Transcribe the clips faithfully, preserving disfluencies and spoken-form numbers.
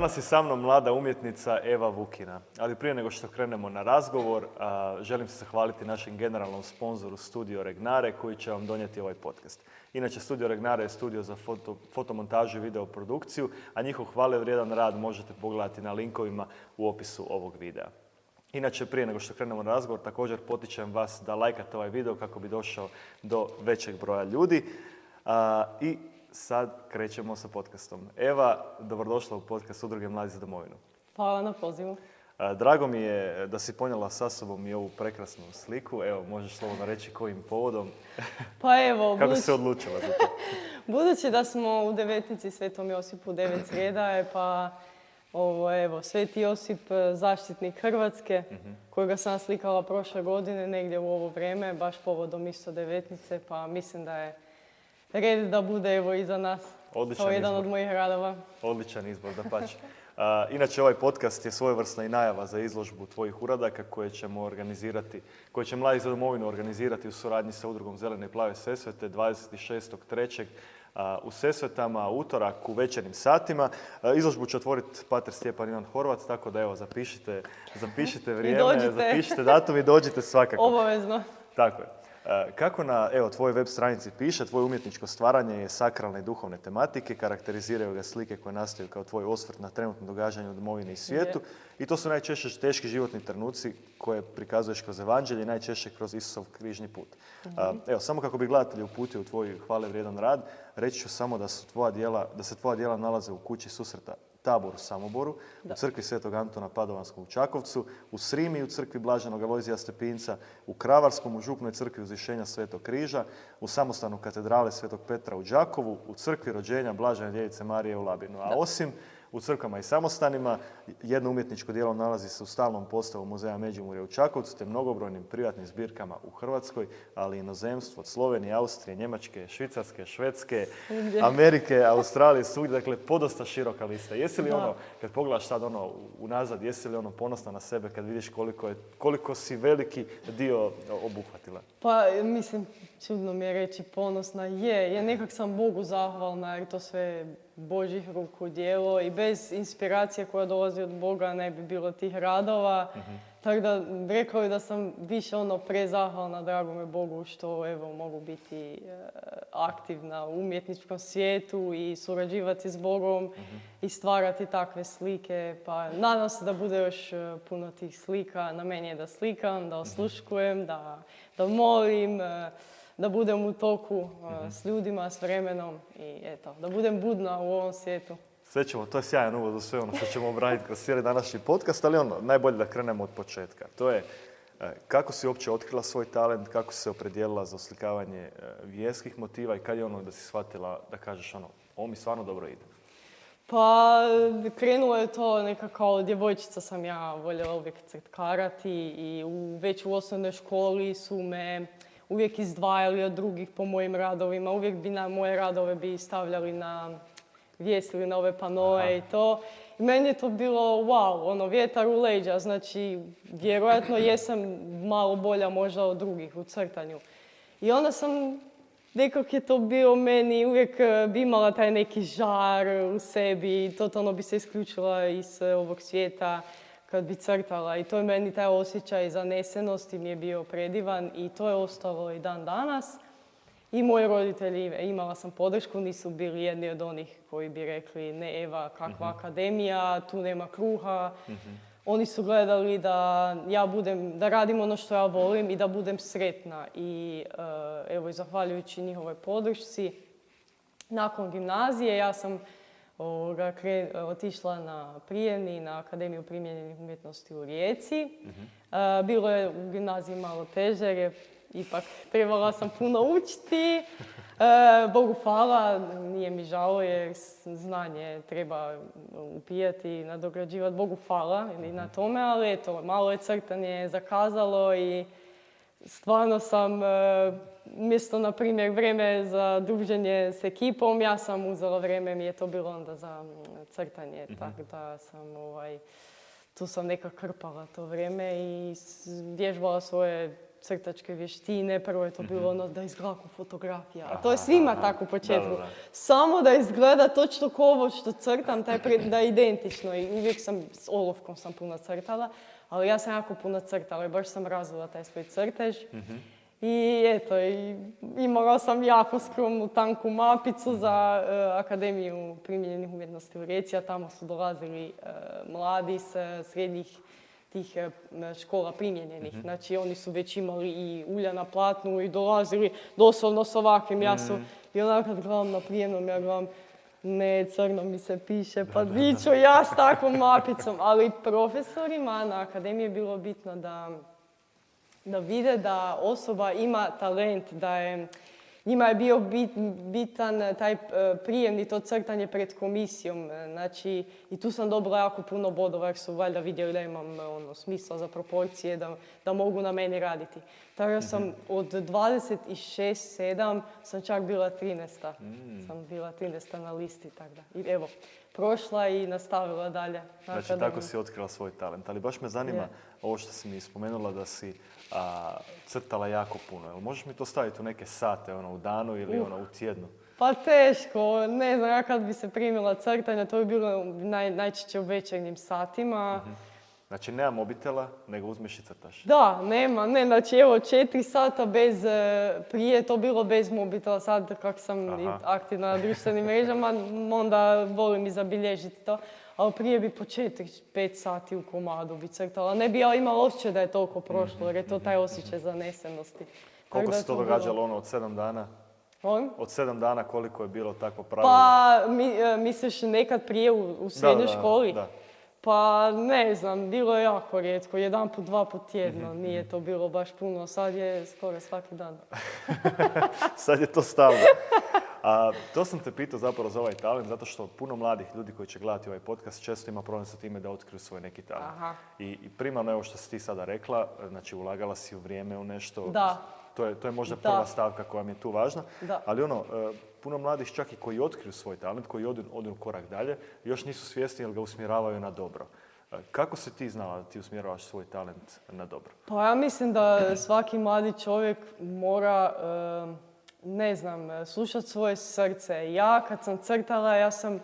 Danas je sa mnom mlada umjetnica Eva Vukina. Ali prije nego što krenemo na razgovor, a, želim se zahvaliti našem generalnom sponzoru Studio Regnare koji će vam donijeti ovaj podcast. Inače, Studio Regnare je studio za foto, fotomontažu i videoprodukciju, a njihov hvale vrijedan rad možete pogledati na linkovima u opisu ovog videa. Inače, prije nego što krenemo na razgovor, također potičem vas da lajkate ovaj video kako bi došao do većeg broja ljudi. A, I sad krećemo sa podcastom. Eva, dobrodošla u podcast Udruge Mladi za domovinu. Hvala na pozivu. A, drago mi je da si ponijela sa sobom i ovu prekrasnu sliku. Evo, možeš slobodno reći kojim povodom. Pa evo, Kako budući, si se odlučila za to? budući da smo u devetnici Svetom Josipu devet srijedaje, pa ovo, evo, Sveti Josip, zaštitnik Hrvatske, uh-huh. kojega sam slikala prošle godine, negdje u ovo vrijeme, baš povodom isto devetnice, pa mislim da je red da bude evo iza nas. Odličan kao jedan izbor. od mojih radova. Odličan izbor, dapače. Uh, inače, ovaj podcast je svojevrsna i najava za izložbu tvojih uradaka koje ćemo organizirati, koje će Mladi za domovinu organizirati u suradnji sa Udrugom Zelene i Plave Sesvete dvadeset šestog trećeg Uh, u Sesvetama, utorak u večernjim satima. Uh, izložbu će otvoriti pater Stjepan Ivan Horvat, tako da evo, zapišite, zapišite vrijeme, zapišite datum i dođite svakako. Obavezno. Tako je. Uh, kako na evo, tvojoj web stranici piše, tvoje umjetničko stvaranje je sakralne i duhovne tematike, karakteriziraju ga slike koje nastaju kao tvoj osvrt na trenutno događanje u domovini i svijetu. Je. I to su najčešće teški životni trenuci koje prikazuješ kroz evanđelje i najčešće kroz Isusov križni put. Mm-hmm. Uh, evo, samo kako bi gledatelji uputio u tvoj hvale vrijedan rad, reći ću samo da, su tvoja djela, da se tvoja djela nalaze u kući susreta Tabor u Samoboru, da. U crkvi Svetog Antona Padovanskog u Čakovcu, u Srimi u crkvi Blaženog Alojzija Stepinca, u Kravarskom u župnoj crkvi Uzvišenja Svetog Križa, u samostanu katedrale Svetog Petra u Đakovu, u crkvi rođenja Blažene djevice Marije u Labinu. A da. Osim u crkvama i samostanima, jedno umjetničko djelo nalazi se u stalnom postavu Muzeja Međimurja u Čakovcu te mnogobrojnim privatnim zbirkama u Hrvatskoj, ali i inozemstvu od Slovenije, Austrije, Njemačke, Švicarske, Švedske, Amerike, Australije, svugdje. Dakle, podosta široka lista. Jesi li da. ono, kad pogledaš sad ono unazad, jesi li ono ponosna na sebe kad vidiš koliko, je, koliko si veliki dio obuhvatila? Pa, mislim, čudno mi je reći ponosna. Je, ja nekak sam Bogu zahvalna jer to sve Božjih ruku djelo i bez inspiracije koja dolazi od Boga ne bi bilo tih radova. Uh-huh. Tako da rekao je da sam više ono prezahvalna dragome Bogu što evo mogu biti e, aktivna u umjetničkom svijetu i surađivati s Bogom uh-huh. i stvarati takve slike. Pa nadam se da bude još puno tih slika. Na meni je da slikam, da osluškujem, da, da molim, e, da budem u toku uh, s ljudima, s vremenom i eto, da budem budna u ovom svijetu. Sve ćemo, to je sjajan uvod u sve ono što ćemo obraditi kroz cijeli današnji podcast, ali ono, najbolje da krenemo od početka. To je kako si uopće otkrila svoj talent, kako si se opredijelila za oslikavanje vjerskih motiva i kad je ono da si shvatila da kažeš ono, ovo mi stvarno dobro ide? Pa krenulo je to neka kao djevojčica sam ja voljela uvijek crtkarati i u, već u osnovnoj školi su me uvijek izdvajali od drugih po mojim radovima. Uvijek bi na moje radove bi stavljali na vjesili na ove panoe. Aha. I to. I meni je to bilo wow, ono vjetar u leđa. Znači, vjerojatno jesam malo bolja možda od drugih u crtanju. I onda sam, nekako je to bio meni, uvijek bi imala taj neki žar u sebi. Totalno bi se isključila iz ovog svijeta kad bi crtala i to je meni taj osjećaj zanesenosti mi je bio predivan i to je ostalo i dan danas. I moji roditelji, imala sam podršku, nisu bili jedni od onih koji bi rekli ne Eva, kakva uh-huh. akademija, tu nema kruha. Uh-huh. Oni su gledali da ja budem, da radim ono što ja volim i da budem sretna. I uh, evo, i zahvaljujući njihovoj podršci, nakon gimnazije ja sam Ovoga, kre, otišla na prijemni na Akademiju primijenjenih umjetnosti u Rijeci. Uh-huh. Uh, bilo je u gimnaziji malo teže jer je ipak trebala sam puno učiti. Uh, Bogu hvala, nije mi žao jer znanje treba upijati i nadograđivati. Bogu hvala i na tome, ali eto, malo je crtanje zakazalo i stvarno sam, umjesto, na primjer, vrijeme za druženje s ekipom, ja sam uzela vrijeme, mi je to bilo onda za crtanje, mm-hmm. tako da sam, ovaj, tu sam nekako krpala to vrijeme i vježbala svoje crtačke vještine, prvo je to bilo ono da izgleda fotografija, a to je svima tako u početku. Da, da, da. Samo da izgleda točno ko ovo što crtam, taj pre, da je identično i uvijek sam, s olovkom sam puno crtala, ali ja sam jako puno crtala i baš sam razvila taj svoj crtež. Mm-hmm. I eto, i imala sam jako skromnu tanku mapicu za uh, Akademiju primijenjenih umjetnosti u Rijeci, a tamo su dolazili uh, mladi s srednjih tih uh, škola primijenjenih. Mm-hmm. Znači, oni su već imali i ulja na platnu i dolazili doslovno s ovakvim. Mm-hmm. Ja su, i onak kad gledam na prijemnom, ja gledam, ne, crno mi se piše, pa di ću ja s takvom mapicom. Ali profesorima na Akademiji je bilo bitno da da vide da osoba ima talent, da je, njima je bio bit, bitan taj prijemni, to crtanje pred komisijom. Znači, i tu sam dobila jako puno bodova jer su valjda vidjeli da imam ono, smisla za proporcije, da, da mogu na meni raditi. Tako da sam od dvadeset šest sedam sam čak bila trinaesta. Mm. Sam bila trinaesta na listi, tako da. I evo, prošla i nastavila dalje. Znači, tako, tako si otkrila svoj talent. Ali baš me zanima, yeah. ovo što si mi spomenula da si a, crtala jako puno. Jel možeš mi to staviti u neke sate, ono, u danu ili uh. ono, u tjednu? Pa teško. Ne znam, ja kad bi se primila crtanja, to bi bilo naj, najčešće u večernjim satima. Mm-hmm. Znači, nema mobitela, nego uzmeš i crtaš. Da, nema. Ne, znači, evo, četiri sata bez, prije je to bilo bez mobitela. Sad, kako sam Aha. aktivna na društvenim mrežama, onda volim i zabilježiti to. Ali prije bi po četiri pet sati u komadu bi crtala. Ne bi ja imala osjećaj da je toliko prošlo, jer je to taj osjećaj zanesenosti. Koliko se to događalo ono od sedam dana? On? Od sedam dana koliko je bilo takvo pravilo? Pa, mi, misliš nekad prije u, u srednjoj da, da, školi? Da. Pa ne znam, bilo je jako rijetko, jedan put, dva put tjedno, mm-hmm. nije to bilo baš puno, sad je skoro svaki dan. Sad je to stalno. A, to sam te pitao zapravo za ovaj talent, zato što puno mladih ljudi koji će gledati ovaj podcast često ima problem sa time da otkriju svoj neki talent. Aha. I, I primarno evo što si ti sada rekla, znači ulagala si u vrijeme u nešto. Da. To je, to je možda prva da. stavka koja mi je tu važna. Da. Ali ono, puno mladih čak i koji otkriju svoj talent, koji odu, odu korak dalje, još nisu svjesni jer ga usmjeravaju na dobro. Kako si ti znala da ti usmjeravaš svoj talent na dobro? Pa ja mislim da svaki mladi čovjek mora, ne znam, slušati svoje srce. Ja kad sam crtala, ja sam,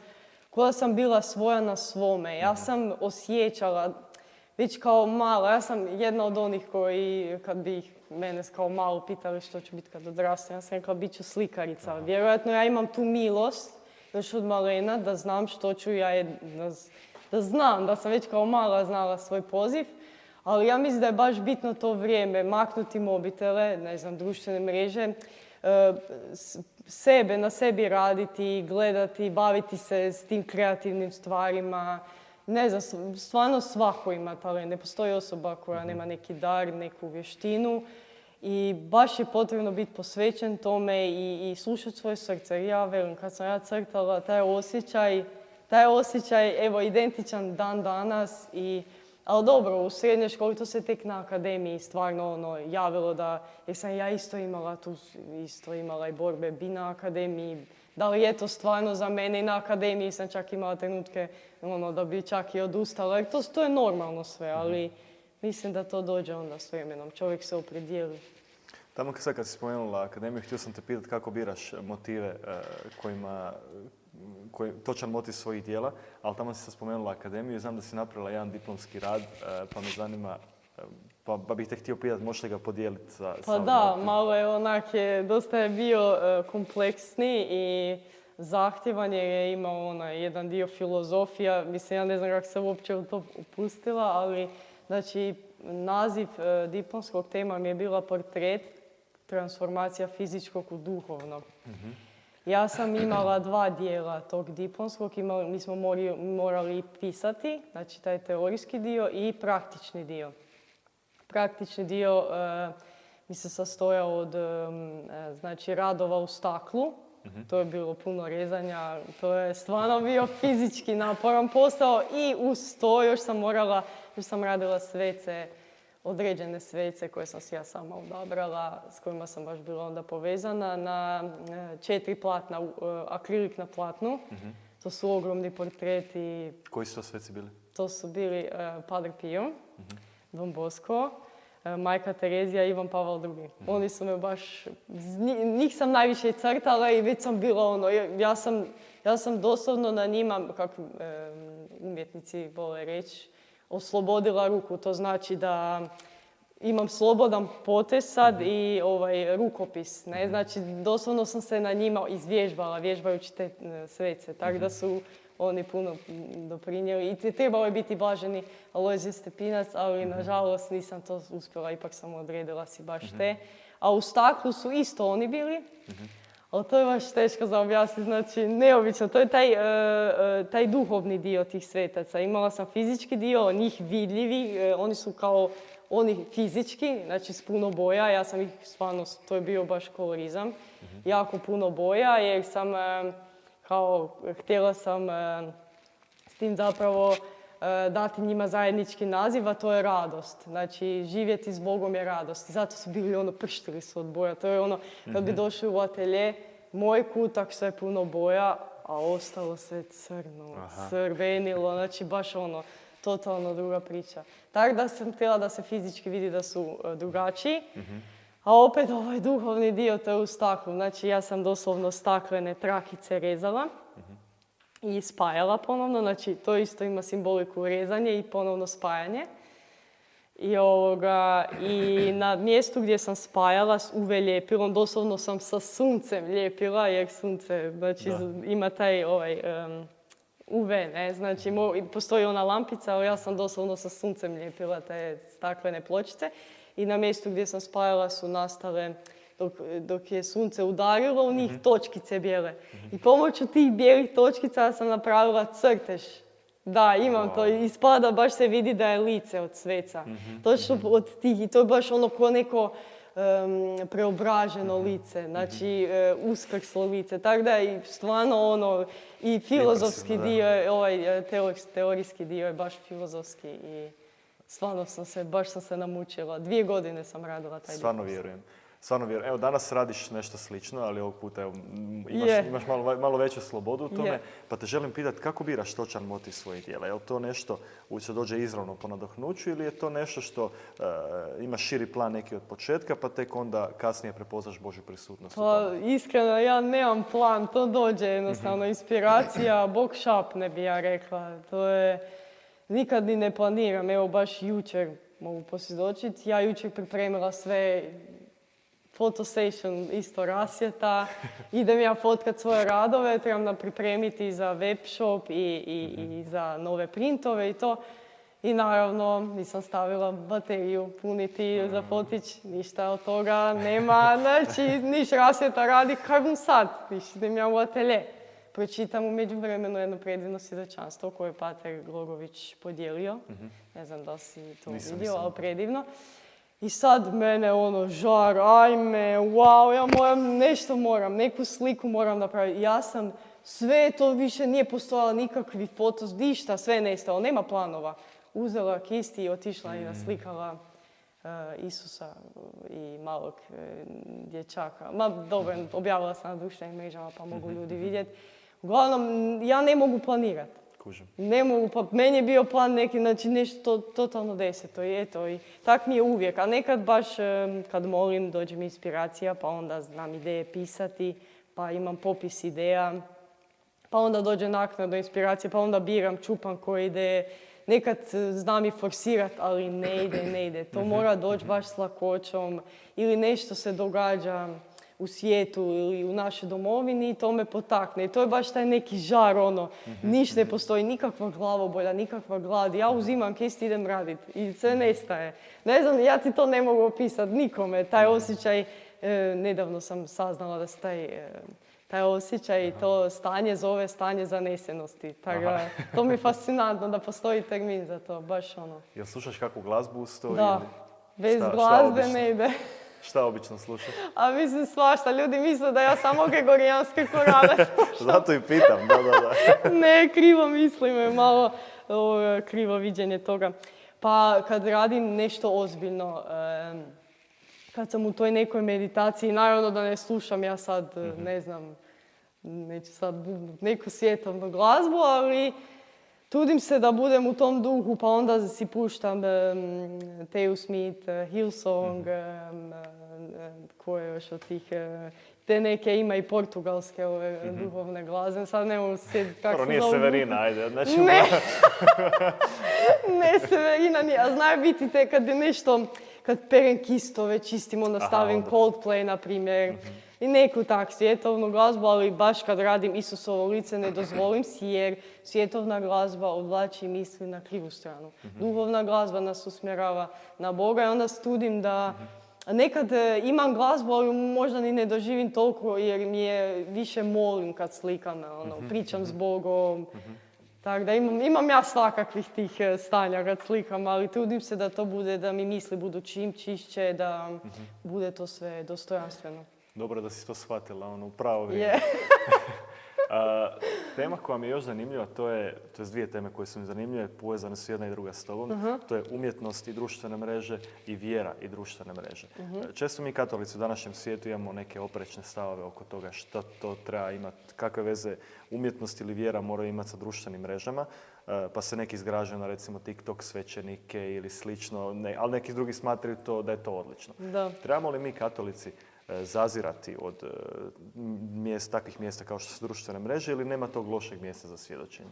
koja sam bila svoja na svome. Ja sam osjećala, već kao mala, ja sam jedna od onih koji, kad bi ih mene kao malu pitali što ću biti kad odrastem, ja sam rekla bit ću slikarica. Aha. Vjerojatno ja imam tu milost još od malena da znam što ću ja, da, da znam, da sam već kao mala znala svoj poziv. Ali ja mislim da je baš bitno to vrijeme, maknuti mobitele, ne znam, društvene mreže, sebe, na sebi raditi, gledati, baviti se s tim kreativnim stvarima. Ne znam, stvarno svako ima talent. Ne postoji osoba koja nema neki dar, neku vještinu i baš je potrebno biti posvećen tome i, i slušati svoje srce. Ja velim, kad sam ja crtala, taj osjećaj, taj osjećaj, evo, identičan dan danas i ali dobro, u srednjoj školi to se tek na akademiji stvarno ono, javilo da, jer sam ja isto imala tu, isto imala i borbe bi na akademiji. Da li je to stvarno za mene i na akademiji sam čak imala trenutke ono, da bi čak i odustala, jer to, to je normalno sve, ali mislim da to dođe onda s vremenom, čovjek se opredijeli. Tamo sad kad si spomenula akademiju, htio sam te pitati kako biraš motive eh, kojima, koji, točan motiv svojih dijela, ali tamo si sad spomenula akademiju i znam da si napravila jedan diplomski rad, eh, pa me zanima, eh, pa, pa bih te htio pitati, možeš li ga podijeliti sa... Pa sa da, motiv? Malo je onak, je, dosta je bio uh, kompleksni i zahtjevan je imao onaj jedan dio filozofija, mislim ja ne znam kako se uopće u to upustila, ali znači naziv uh, diplomskog tema mi je bila portret, transformacija fizičkog u duhovnog. Mm-hmm. Ja sam imala dva dijela tog diplomskog, imali, mi smo mori, morali pisati, znači taj teorijski dio i praktični dio. Praktični dio uh, mi se sastojao od um, znači, radova u staklu, mm-hmm. to je bilo puno rezanja, to je stvarno bio fizički naporan posao i uz to još sam morala, još sam radila svece, određene svece koje sam si ja sama odabrala, s kojima sam baš bila onda povezana, na četiri platna, akrilik na platnu. Mm-hmm. To su ogromni portreti. Koji su to sveci bili? To su bili uh, Padre Pio, mm-hmm. Don Bosco, uh, Majka Terezija i Ivan Pavel drugi. Oni su me baš, njih sam najviše crtala i već sam bila ono, ja sam, ja sam doslovno na njima, kako umjetnici vole reći, oslobodila ruku. To znači da imam slobodan potez sad i ovaj, rukopis. Ne? Znači, doslovno sam se na njima izvježbala, vježbajući te svece. Tako da su oni puno doprinijeli. I trebalo je biti blaženi Alojzije Stepinac, ali nažalost nisam to uspjela. Ipak sam odredila si baš te. A u staklu su isto oni bili. Ali to je baš teško za objasniti, znači neobično. To je taj, uh, taj duhovni dio tih svetaca. Imala sam fizički dio, njih vidljivi, uh, oni su kao oni fizički, znači s puno boja. Ja sam ih stvarno, to je bio baš kolorizam. Mm-hmm. Jako puno boja jer sam uh, kao, htjela sam uh, s tim zapravo uh, dati njima zajednički naziv, a to je radost. Znači, živjeti s Bogom je radost. I zato su bili ono, prštili su od boja. To je ono, kad bi došli u atelje, moj kutak sve puno boja, a ostalo sve crno, Aha. crvenilo, znači baš ono, totalno druga priča. Tako da sam htjela da se fizički vidi da su uh, drugačiji, mm-hmm. a opet ovaj duhovni dio to je u staklu. Znači, ja sam doslovno staklene trakice rezala. Mm-hmm. I spajala ponovno, znači to isto ima simboliku rezanje i ponovno spajanje. I, ovoga, i na mjestu gdje sam spajala s U V ljepilom, doslovno sam sa suncem ljepila, jer sunce znači, ima taj ovaj, um, U V, ne? Znači mo, postoji ona lampica, ali ja sam doslovno sa suncem ljepila te staklene pločice. I na mjestu gdje sam spajala su nastale, Dok, dok je sunce udarilo u njih, mm-hmm. točkice bijele. Mm-hmm. I pomoću tih bijelih točkica sam napravila crtež. Da, imam wow. to. Ispada, baš se vidi da je lice od sveca. Mm-hmm. Točno mm-hmm. od tih. I to je baš ono ko neko um, preobraženo mm-hmm. lice. Znači, uh, uskrslo lice. Tako da i stvarno ono, i filozofski dio, ovaj teorijski dio je baš filozofski. I stvarno sam se, baš sam se namučila. Dvije godine sam radila taj dio. Stvarno vjerujem. Stvarno vjerujem. Evo, danas radiš nešto slično, ali ovog puta evo, imaš, yeah. imaš malo, malo veću slobodu u tome. Yeah. Pa te želim pitati kako biraš točan motiv svojih djela? Je li to nešto što dođe izravno po nadahnuću ili je to nešto što uh, ima širi plan neki od početka pa tek onda kasnije prepoznaš Božju prisutnost? Pa iskreno, ja nemam plan. To dođe jednostavno. Mm-hmm. Inspiracija, Bog šapne bi ja rekla. To je... Nikad ni ne planiram. Evo, baš jučer mogu posvjedočiti. Ja jučer pripremila sve... Fotosession isto rasvjeta, idem ja fotkat svoje radove, trebam nam pripremiti za web shop i, i, mm-hmm. i za nove printove i to. I naravno nisam stavila bateriju puniti mm-hmm. za fotić, ništa od toga nema, znači niš rasvjeta radi, kaj bom sad, niš idem ja u atelje. Pročitam u međuvremenu jedno predivno svjedočanstvo koje je pater Glorović podijelio, mm-hmm. ne znam da si to nisam, vidio, nisam. Ali predivno. I sad mene ono žar, ajme, wow, ja moram, nešto moram, neku sliku moram napraviti. Ja sam, sve to više nije postojalo nikakvi fotos, ništa, sve je nestalo, nema planova. Uzela kisti i otišla mm. i naslikala uh, Isusa i malog uh, dječaka. Ma dobro, objavila sam na društvenim mrežama pa mogu ljudi vidjeti. Uglavnom, ja ne mogu planirati. Ne mogu, pa meni je bio plan neki, znači nešto to, totalno deseto i eto, i tak mi je uvijek. A nekad baš kad molim dođe mi inspiracija, pa onda znam ideje pisati, pa imam popis ideja, pa onda dođe naknadno inspiracija, pa onda biram, čupam koje ideje. Nekad znam i forsirat, ali ne ide, ne ide. To mora doći baš s lakoćom ili nešto se događa u svijetu ili u našoj domovini i to me potakne. I to je baš taj neki žar, ono, ništa ne postoji, nikakva glavobolja, nikakva glad. Ja uzimam kist i idem raditi i sve nestaje. Ne znam, ja ti to ne mogu opisati nikome. Taj osjećaj, eh, nedavno sam saznala da se taj, eh, taj osjećaj i to stanje zove stanje zanesenosti. Tako, to mi je fascinantno da postoji termin za to, baš ono. Jel slušaš kakvu glazbu uz to? Da, ili... bez šta, glazbe šta ne ide. Šta obično slušaš? A mislim svašta, ljudi misle da ja samo gregorijanske korale slušam. Zato i pitam, da, da, da. Ne, krivo mislim, malo o, krivo viđenje toga. Pa kad radim nešto ozbiljno, um, kad sam u toj nekoj meditaciji, naravno da ne slušam ja sad, mm-hmm. ne znam, neću sad neku svjetovnu glazbu, ali trudim se da budem u tom duhu, pa onda si puštam um, Teo Smith, uh, Hillsong, mm-hmm. um, uh, koje još od tih... Uh, te neke ima i portugalske ove mm-hmm. duhovne glazbe. Sad ne mogu sjetiti kako se zove. Nije Severina, ajde. Znači, ne. ne, Severina nije. A znaju biti te kad je nešto, kad perem kistove čistim, onda stavim Aha, Coldplay, na primjer. Mm-hmm. I neku tak svjetovnu glazbu, ali baš kad radim Isusovo lice ne dozvolim si, jer svjetovna glazba odvlači misli na krivu stranu. Mm-hmm. Duhovna glazba nas usmjerava na Boga i onda studim da mm-hmm. Nekad imam glazbu, ali možda ni ne doživim toliko jer mi je više molim kad slikam, ono, pričam s Bogom. Mm-hmm. Tako da imam, imam ja svakakvih tih stanja kad slikam, ali trudim se da to bude, da mi misli budu čim čišće, da mm-hmm. bude to sve dostojanstveno. Dobro da si to shvatila, ono, u pravo vrijeme. Yeah. A, tema koja mi je još zanimljiva, to je, to je dvije teme koje su mi zanimljive, povezane su jedna i druga s tobom. Uh-huh. To je umjetnost i društvene mreže i vjera i društvene mreže. Uh-huh. Često mi katolici u današnjem svijetu imamo neke oprečne stavove oko toga što to treba imati, kakve veze umjetnost ili vjera moraju imati sa društvenim mrežama. Pa se neki zgražaju na recimo TikTok svećenike ili slično, ne, ali neki drugi smatraju to, da je to odlično. Da. Trebamo li mi katolici zazirati od mjesta, takvih mjesta kao što su društvene mreže ili nema tog lošeg mjesta za svjedočenje?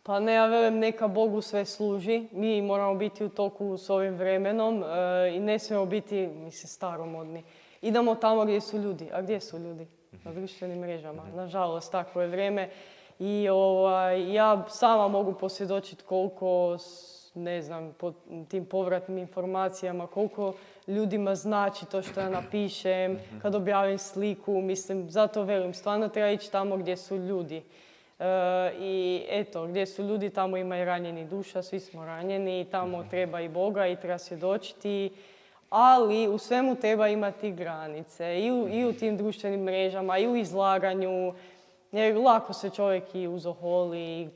Pa ne, ja velim, neka Bogu sve služi. Mi moramo biti u toku s ovim vremenom e, i ne smijemo biti, mislim, staromodni. Idemo tamo gdje su ljudi. A gdje su ljudi? Na društvenim mrežama. Nažalost, tako je vrijeme. I ovaj, ja sama mogu posvjedočiti koliko, ne znam, po tim povratnim informacijama, koliko ljudima znači to što ja napišem, kad objavim sliku. Mislim, zato velim, stvarno treba ići tamo gdje su ljudi. E, I eto, gdje su ljudi, tamo ima i ranjeni duša, svi smo ranjeni, tamo treba i Boga i treba svjedočiti. Ali u svemu treba imati granice i u, i u tim društvenim mrežama i u izlaganju. Jer lako se čovjek i uzoholi,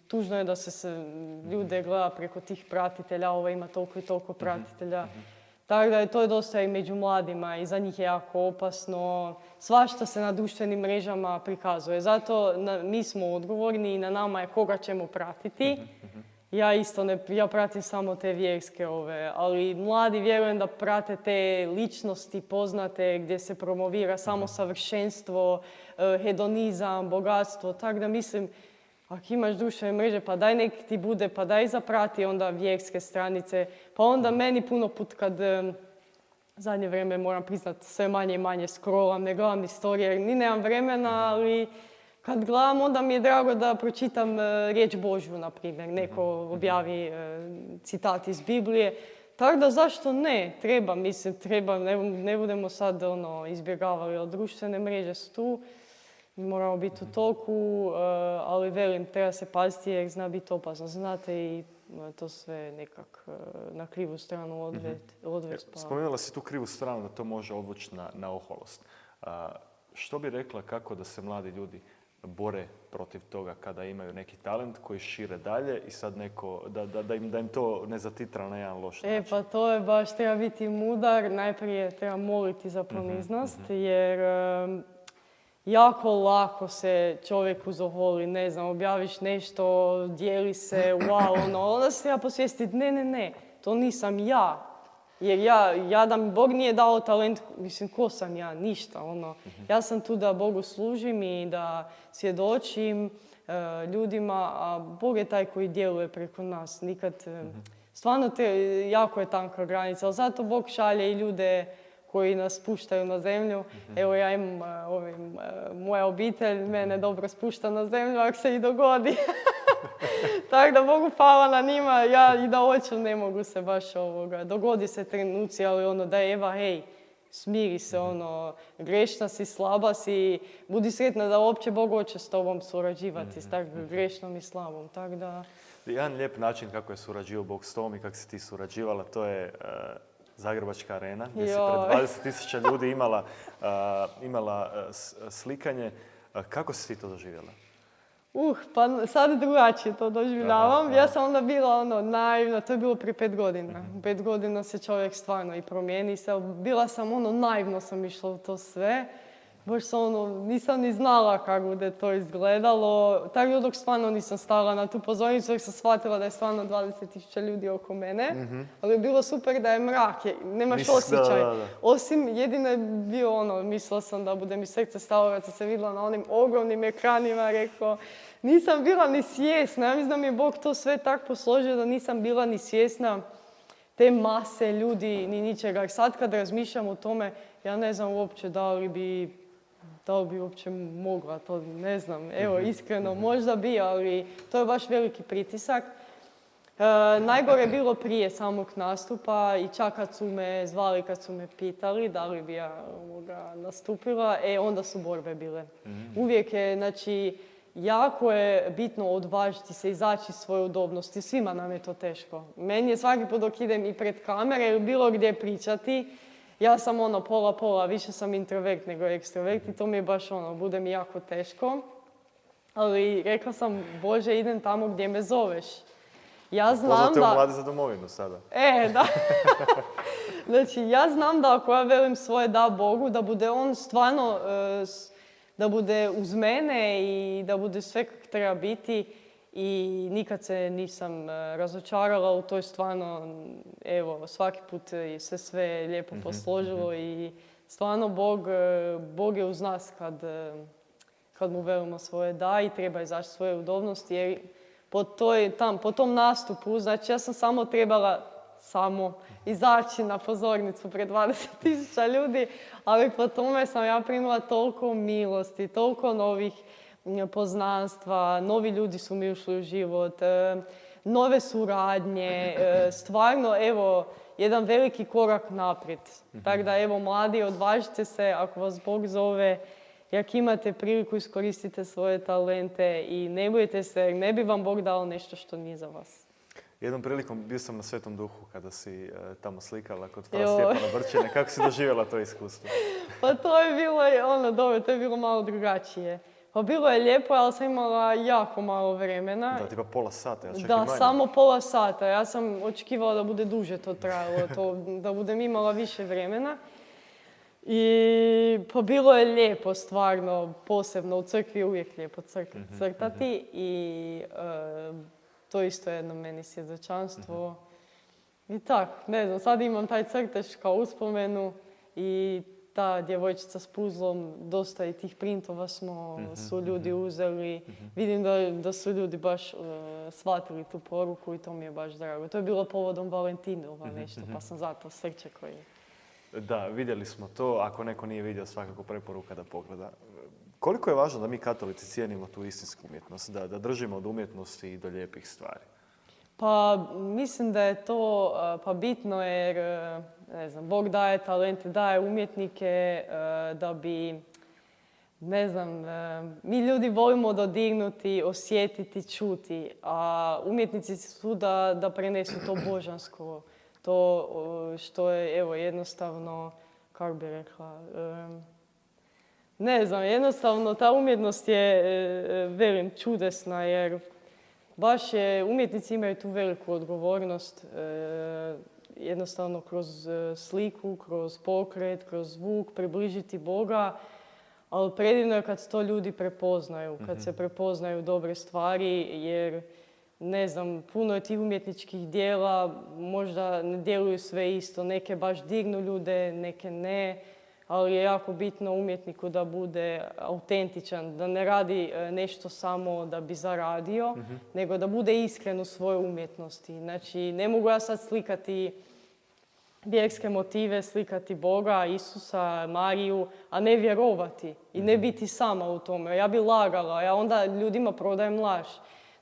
tužno je da se, se ljude gleda preko tih pratitelja, ovo ima toliko i toliko pratitelja. Tako da je to dosta i među mladima i za njih je jako opasno. Svašta se na društvenim mrežama prikazuje. Zato na, mi smo odgovorni i na nama je koga ćemo pratiti. Ja isto ne, ja pratim samo te vjerske ove, ali mladi vjerujem da prate te ličnosti poznate gdje se promovira samo savršenstvo, hedonizam, bogatstvo. Tako da mislim, ako imaš društvene mreže, pa daj nek ti bude, pa daj zaprati onda vjerske stranice. Pa onda meni puno put kad zadnje vrijeme moram priznati sve manje i manje scrollam, ne gledam istorije jer ni nemam vremena, ali kad gledam onda mi je drago da pročitam uh, riječ Božju, na primjer. Neko objavi uh, citat iz Biblije. Tako da zašto ne? Treba, mislim, treba. Ne, ne budemo sad ono, izbjegavali od društvene mreže su tu. Moramo biti u toku, uh, ali velim, treba se paziti jer zna biti opasno. Znate i uh, to sve nekak uh, na krivu stranu odvesti. odvest, pa... Spomenula si tu krivu stranu da to može odvući na, na oholost. Uh, što bi rekla kako da se mladi ljudi bore protiv toga kada imaju neki talent koji šire dalje i sad neko, da, da, da, im, da im to ne zatitra na jedan loš način? E, pa to je baš, treba biti mudar. Najprije treba moliti za poniznost, mm-hmm. jer um, jako lako se čovjek uzoholi, ne znam, objaviš nešto, dijeli se, wow, ono, onda se treba posvijestiti, ne, ne, ne, to nisam ja. Jer ja, ja da mi Bog nije dao talent, mislim, ko sam ja? Ništa, ono. Ja sam tu da Bogu služim i da svjedočim uh, ljudima, a Bog je taj koji djeluje preko nas. Nikad, uh, stvarno, te, jako je tanka granica, ali zato Bog šalje i ljude koji nas spuštaju na zemlju. Evo, ja imam uh, ovim, uh, moja obitelj, mene dobro spušta na zemlju, ako se i dogodi. Tako da Bogu hvala na njima, ja i da hoću ne mogu se baš ovoga. Dogodi se trenuci, ali ono da je Eva, hej, smiri se, ono, grešna si, slaba si, budi sretna da uopće Bog hoće s tobom surađivati, s tako grešnom i slabom. Tak da... Jedan lijep način kako je surađivao Bog s tobom i kako si ti surađivala, to je uh, Zagrebačka arena, gdje si pred dvadeset tisuća ljudi imala, uh, imala uh, slikanje. Uh, kako si ti to doživjela? Uh, pa sad drugačije to doživljavam. Aha, aha. Ja sam onda bila ono naivna, to je bilo prije pet godina. Mm-hmm. Pet godina se čovjek stvarno i promijeni se. Bila sam ono, naivno sam išla u to sve. baš se ono, nisam ni znala kako bude to izgledalo. Tako dok stvarno nisam stala na tu pozornicu, jer sam shvatila da je stvarno dvadeset tisuća ljudi oko mene. Mm-hmm. Ali je bilo super da je mrak, je, nemaš Nis, osjećaj. Da, da, da. Osim, jedino je bio ono, mislila sam da bude mi srce stalo kad sam se vidjela na onim ogromnim ekranima, rekao, nisam bila ni svjesna. Ja mislim da mi je Bog to sve tako posložio da nisam bila ni svjesna te mase ljudi, ni ničega. Jer sad kad razmišljam o tome, ja ne znam uopće da li bi, da li bi uopće mogla, to ne znam. Evo, iskreno, možda bi, ali to je baš veliki pritisak. E, najgore je bilo prije samog nastupa i čak kad su me zvali, kad su me pitali da li bi ja ovoga, nastupila, e, onda su borbe bile. Uvijek je, znači, jako je bitno odvažiti se, izaći iz svoje udobnosti. Svima nam je to teško. Meni je svaki put dok idem i pred kamere ili bilo gdje pričati, ja sam ono pola-pola, više sam introvert nego ekstrovert i to mi je baš ono, bude mi jako teško. Ali rekla sam, Bože, idem tamo gdje me zoveš. Ja znam Pozvate da... u Mladi za domovinu sada. E, da. Znači, ja znam da ako ja velim svoje da Bogu, da bude on stvarno... E, da bude uz mene i da bude sve kako treba biti i nikad se nisam razočarala u toj stvarno, evo, svaki put se sve lijepo posložilo i stvarno Bog, Bog je uz nas kad, kad mu velimo svoje da i treba izaći svoje udobnosti jer po, toj, tam, po tom nastupu, znači ja sam samo trebala samo izaći na pozornicu pred dvadeset tisuća ljudi, ali po tome sam ja primila toliko milosti, toliko novih poznanstva, novi ljudi su mi ušli u život, nove suradnje, stvarno, evo, jedan veliki korak naprijed. Mm-hmm. Tako da, evo, mladi, odvažite se ako vas Bog zove, jak imate priliku, iskoristite svoje talente i ne bojte se, ne bi vam Bog dao nešto što nije za vas. Jednom prilikom bio sam na Svetom Duhu kada si e, tamo slikala kod fra Stjepana Brčine. Kako si doživjela to iskustvo? Pa to je bilo, ono, dobro, to je bilo malo drugačije. Pa bilo je lijepo, ali sam imala jako malo vremena. Da, tipa pola sata, ja čak Da, i manje. samo pola sata. Ja sam očekivala da bude duže to trajalo, to, da budem imala više vremena. I pa bilo je lijepo, stvarno, posebno u crkvi je uvijek lijepo crkati, mm-hmm, crtati mm-hmm. i e, to isto jedno meni svjedočanstvo. Mm-hmm. I tak, ne znam, sad imam taj crtež kao uspomenu i ta djevojčica s puzlom, dosta i tih printova smo, mm-hmm. su ljudi uzeli. Mm-hmm. Vidim da, da su ljudi baš uh, shvatili tu poruku i to mi je baš drago. To je bilo povodom Valentinova mm-hmm. nešto, pa sam zato srce koji... Da, vidjeli smo to. Ako neko nije vidio, svakako preporuka da pogleda. Koliko je važno da mi katolici cijenimo tu istinsku umjetnost, da, da držimo od umjetnosti i do lijepih stvari? Pa mislim da je to pa bitno jer, ne znam, Bog daje talente, daje umjetnike da bi, ne znam, mi ljudi volimo dodirnuti, osjetiti, čuti, a umjetnici su da, da prenesu to božansko, to što je, evo, jednostavno, kako bi rekla, ne znam, jednostavno ta umjetnost je, velim, čudesna jer baš je, umjetnici imaju tu veliku odgovornost, jednostavno kroz sliku, kroz pokret, kroz zvuk, približiti Boga, ali predivno je kad to ljudi prepoznaju, kad mm-hmm. se prepoznaju dobre stvari jer, ne znam, puno je tih umjetničkih dijela, možda ne djeluju sve isto, neke baš dignu ljude, neke ne, ali je jako bitno umjetniku da bude autentičan, da ne radi nešto samo da bi zaradio, mm-hmm. nego da bude iskren u svojoj umjetnosti. Znači, ne mogu ja sad slikati vjerske motive, slikati Boga, Isusa, Mariju, a ne vjerovati i ne biti sama u tome. Ja bi lagala, ja onda ljudima prodajem laž.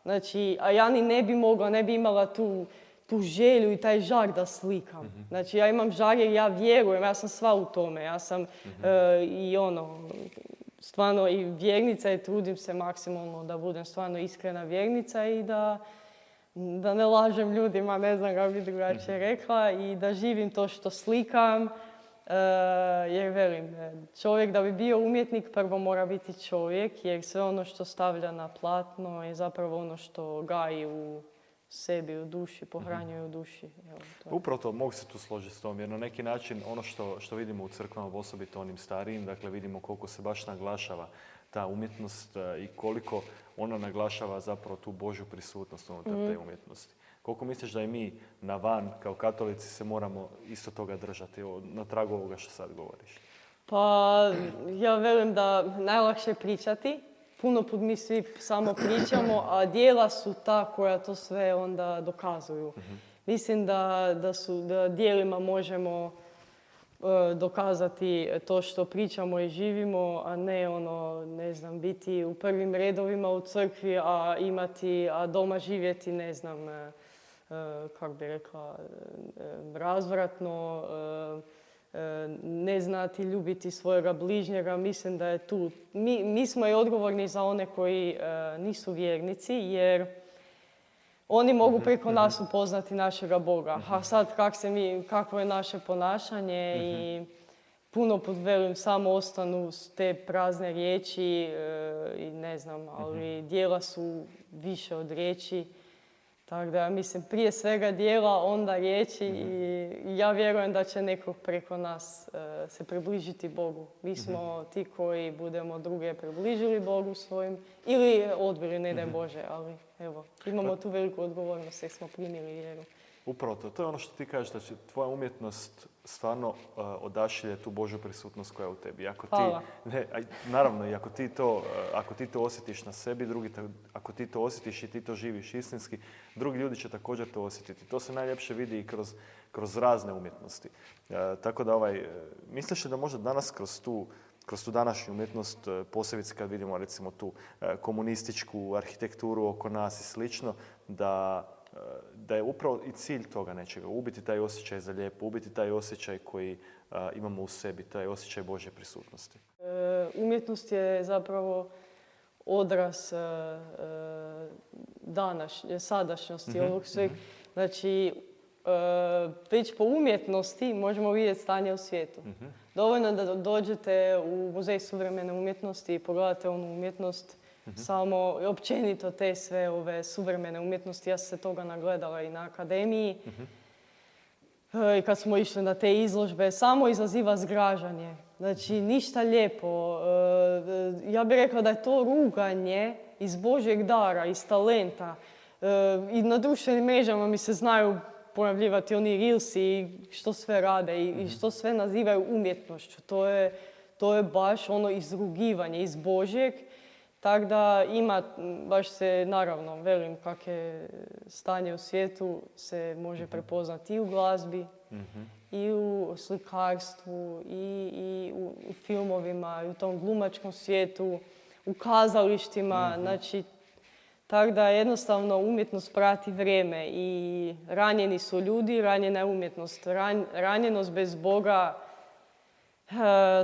Znači, a ja ni ne bi mogla, ne bi imala tu, tu želju i taj žar da slikam. Mm-hmm. Znači, ja imam žar jer ja vjerujem, ja sam sva u tome. Ja sam mm-hmm. e, i ono, stvarno i vjernica i trudim se maksimalno da budem stvarno iskrena vjernica i da, da ne lažem ljudima, ne znam kako bi drugačije rekla, i da živim to što slikam. Uh, jer velim, čovjek da bi bio umjetnik prvo mora biti čovjek jer sve ono što stavlja na platno je zapravo ono što gaji u sebi u duši, pohranjuje u duši. Evo, to je. Upravo to, mogu se tu složiti s tom, jer na neki način ono što, što vidimo u crkvama, osobito onim starijim, dakle vidimo koliko se baš naglašava ta umjetnost e, i koliko ona naglašava zapravo tu Božju prisutnost unutar mm. te umjetnosti. Koliko misliš da i mi na van, kao katolici, se moramo isto toga držati, evo, na tragu ovoga što sad govoriš? Pa ja velim da najlakše je pričati. Puno put mi svi samo pričamo, a djela su ta koja to sve onda dokazuju. Mm-hmm. Mislim da, da, su, da djelima možemo e, dokazati to što pričamo i živimo, a ne ono, ne znam, biti u prvim redovima u crkvi, a imati, a doma živjeti, ne znam, e, e, kako bi rekla, e, razvratno, e, ne znati ljubiti svojega bližnjega. Mislim da je tu, mi, mi smo i odgovorni za one koji e, nisu vjernici, jer oni mogu preko nas upoznati našega Boga. A sad kak se mi, kakvo je naše ponašanje i puno put velim samo ostanu te prazne riječi e, i ne znam, ali djela su više od riječi. Tako da, mislim, prije svega djela, onda riječi mm-hmm. i ja vjerujem da će neko preko nas uh, se približiti Bogu. Mi smo mm-hmm. ti koji budemo druge približili Bogu svojim ili odbili, ne daj mm-hmm. Bože, ali evo, imamo tu veliku odgovornost jer smo primili vjeru. Upravo to. To je ono što ti kažeš, da će tvoja umjetnost stvarno uh, odašilje tu Božju prisutnost koja je u tebi. Ako ti, ne, naravno, i ako ti, to, uh, ako ti to osjetiš na sebi, drugi te, ako ti to osjetiš i ti to živiš istinski, drugi ljudi će također to osjetiti. To se najljepše vidi i kroz, kroz razne umjetnosti. Uh, tako da, ovaj, uh, misliš da možda danas kroz tu kroz tu današnju umjetnost, posebice kad vidimo recimo tu uh, komunističku arhitekturu oko nas i slično, da da je upravo i cilj toga nečega, ubiti taj osjećaj za lijepo, ubiti taj osjećaj koji a, imamo u sebi, taj osjećaj Božje prisutnosti. E, umjetnost je zapravo odraz e, današnje, sadašnjosti mm-hmm. ovog sveg. Znači, e, već po umjetnosti možemo vidjeti stanje u svijetu. Mm-hmm. Dovoljno da dođete u Muzej suvremene umjetnosti i pogledate onu umjetnost. Mm-hmm. Samo općenito te sve ove suvremene umjetnosti, ja sam se toga nagledala i na akademiji. Mm-hmm. I kad smo išli na te izložbe, samo izaziva zgražanje. Znači, ništa lijepo. Ja bih rekla da je to ruganje iz Božjeg dara, iz talenta. I na društvenim mrežama mi se znaju pojavljivati oni reelsi i što sve rade i, mm-hmm. i što sve nazivaju umjetnošću. To je, to je baš ono izrugivanje iz Božjeg. Tako da ima, baš se, naravno, velim kak je stanje u svijetu, se može prepoznati i u glazbi, mm-hmm. i u slikarstvu, i, i u, u filmovima, i u tom glumačkom svijetu, u kazalištima. Mm-hmm. Znači, tako da jednostavno umjetnost prati vrijeme i ranjeni su ljudi, ranjena je umjetnost. Ran, ranjenost bez Boga, Uh,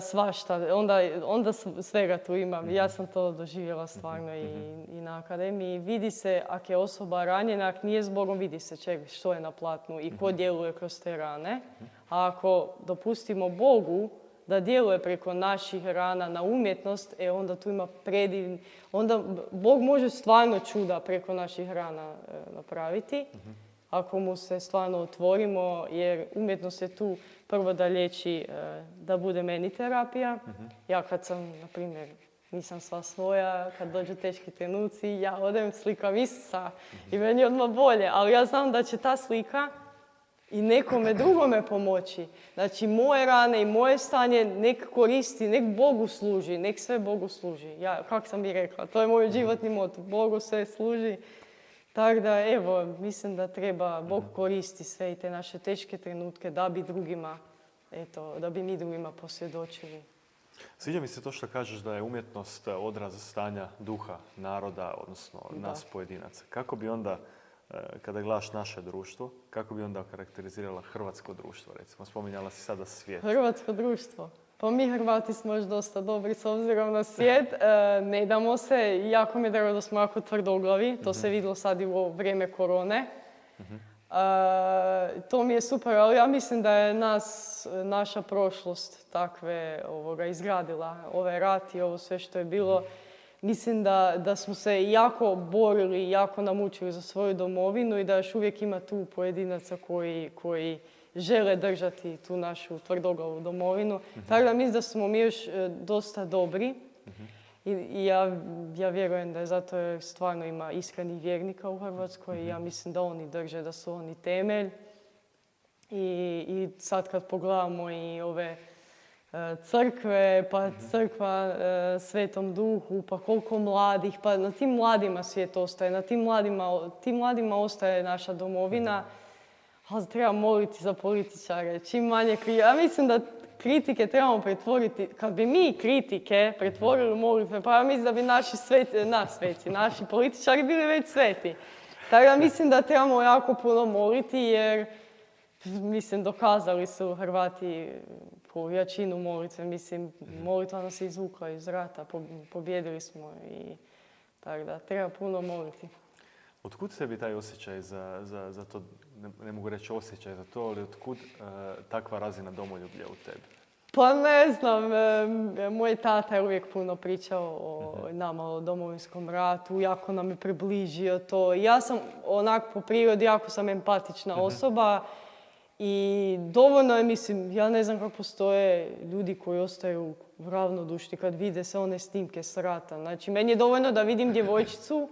svašta, onda, onda svega tu imam. Ja sam to doživjela stvarno i, i na akademiji. Vidi se, ako je osoba ranjena, ako nije s Bogom, vidi se čeg, što je na platnu i ko djeluje kroz te rane. A ako dopustimo Bogu da djeluje preko naših rana na umjetnost, e onda tu ima predivni... Onda Bog može stvarno čuda preko naših rana e, napraviti. Ako mu se stvarno otvorimo, jer umjetnost je tu prvo da liječi, da bude meni terapija. Uh-huh. Ja kad sam, na primjer, nisam sva svoja, kad dođu teški trenuci, ja odem slikam Isusa uh-huh. i meni je odmah bolje. Ali ja znam da će ta slika i nekome drugome pomoći. Znači, moje rane i moje stanje nek koristi, nek Bogu služi, nek sve Bogu služi. Ja, kako sam i rekla, to je moj životni moto. Bogu sve služi. Tako da, evo, mislim da treba Bog koristi sve i te naše teške trenutke da bi drugima, eto, da bi mi drugima posvjedočili. Sviđa mi se to što kažeš da je umjetnost odraz stanja duha naroda, odnosno da. Nas pojedinaca. Kako bi onda, kada gledaš naše društvo, kako bi onda karakterizirala hrvatsko društvo, recimo? Spominjala si sada svijet. Hrvatsko društvo? Pa mi Hrvati smo još dosta dobri s obzirom na svijet. E, ne damo se. Jako mi je drago da smo jako tvrdoglavi. To mm-hmm. se vidjelo sad i u vrijeme korone. Mm-hmm. E, to mi je super, ali ja mislim da je nas, naša prošlost takve ovoga, izgradila. Ovaj rat i ovo sve što je bilo. mislim da, da smo se jako borili, jako namučili za svoju domovinu i da još uvijek ima tu pojedinaca koji, koji žele držati tu našu tvrdoglavu domovinu. Mm-hmm. Tako da mislim da smo mi još e, dosta dobri. Mm-hmm. I, i ja, ja vjerujem da je zato jer stvarno ima iskrenih vjernika u Hrvatskoj. Mm-hmm. I ja mislim da oni drže, da su oni temelj. I, i sad kad pogledamo i ove e, crkve, pa mm-hmm. crkva e, Svetom Duhu, pa koliko mladih, pa na tim mladima svijet ostaje, na tim mladima, tim mladima ostaje naša domovina. Mm-hmm. Ali treba moliti za političare, čim manje kritike. Ja mislim da kritike trebamo pretvoriti, kad bi mi kritike pretvorili u molitve, pa ja mislim da bi naši sveti, naš sveci, naši političari bili već sveti. Tako da mislim da trebamo jako puno moliti jer, mislim, dokazali su Hrvati po jačinu molitve. Mislim, molitva nas je izvukla iz rata, pobjedili smo i tako da treba puno moliti. Otkud tebi taj osjećaj za, za, za to, ne, ne mogu reći osjećaj za to, ali otkud uh, takva razina domoljublja u tebi? Pa ne znam, e, moj tata je uvijek puno pričao o uh-huh. nama, o Domovinskom ratu, jako nam je približio to. Ja sam onak po prirodi, jako sam empatična uh-huh. osoba i dovoljno je, mislim, ja ne znam kako postoje ljudi koji ostaju ravnodušni kad vide sve one snimke s rata. Znači, meni je dovoljno da vidim djevojčicu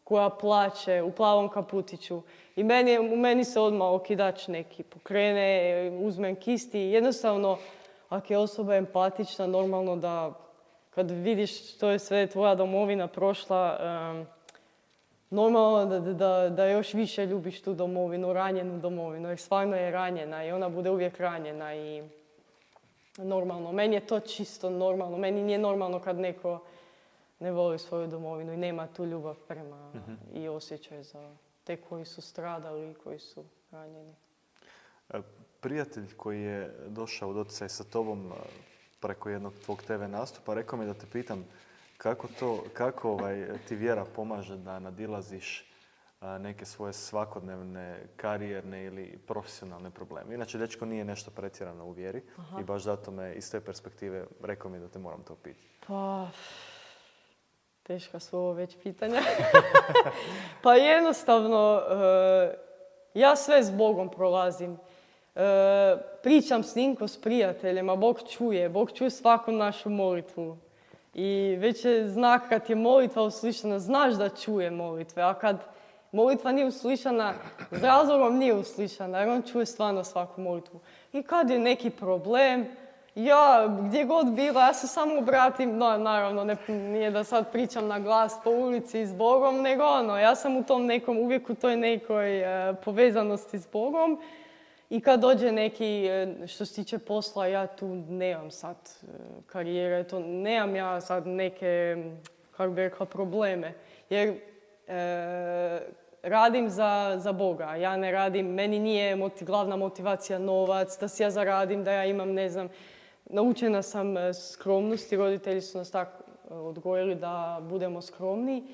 koja plače u plavom kaputiću. I meni, u meni se odmah okidač neki pokrene, uzmem kisti. Jednostavno, ako je osoba empatična, normalno da kad vidiš što je sve tvoja domovina prošla, um, normalno da, da, da još više ljubiš tu domovinu, ranjenu domovinu. Jer stvarno je ranjena i ona bude uvijek ranjena. I normalno, meni je to čisto normalno. Meni nije normalno kad neko ne voli svoju domovinu i nema tu ljubav prema uh-huh. i osjećaj za te koji su stradali i koji su ranjeni. Prijatelj koji je došao u doticaj sa tobom preko jednog tvog te ve nastupa rekao mi da te pitam kako, to, kako ovaj, ti vjera pomaže da nadilaziš neke svoje svakodnevne, karijerne ili profesionalne probleme. Inače, dečko nije nešto pretjerano u vjeri. Aha. I baš zato me iz te perspektive rekao mi da te moram to pitati. Pa... Teška su ovo već pitanja. Pa jednostavno, e, ja sve s Bogom prolazim. E, pričam s njim ko s prijateljima, Bog čuje, Bog čuje svaku našu molitvu. I već je znak kad je molitva uslišana, znaš da čuje molitve, a kad molitva nije uslišana, s razlogom nije uslišana, jer on čuje stvarno svaku molitvu. I kad je neki problem, ja, gdje god bila, ja se samo obratim, no, naravno, ne, nije da sad pričam na glas po ulici s Bogom, nego ono, ja sam u tom nekom, uvijek u toj nekoj e, povezanosti s Bogom i kad dođe neki, e, što se tiče posla, ja tu nemam sad e, karijere, to nemam ja sad neke, kako bi rekla, probleme, jer e, radim za, za Boga, ja ne radim, meni nije moti, glavna motivacija novac, da si ja zaradim, da ja imam, ne znam, naučena sam skromnosti, roditelji su nas tako odgojili da budemo skromni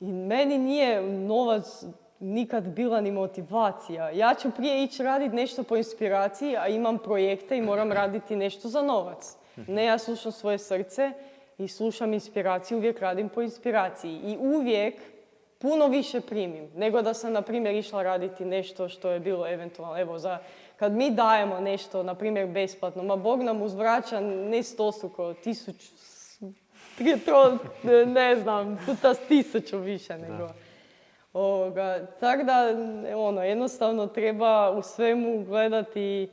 i meni nije novac nikad bila ni motivacija. Ja ću prije ići raditi nešto po inspiraciji, a imam projekte i moram raditi nešto za novac. Ne, ja slušam svoje srce i slušam inspiraciju, uvijek radim po inspiraciji i uvijek puno više primim nego da sam, na primjer, išla raditi nešto što je bilo eventualno, evo, za... Kad mi dajemo nešto, na primjer, besplatno, ma Bog nam uzvraća ne stostruko, tisuću, ne znam, puta tisuću više nego. Ovoga, tako da, ono, jednostavno treba u svemu gledati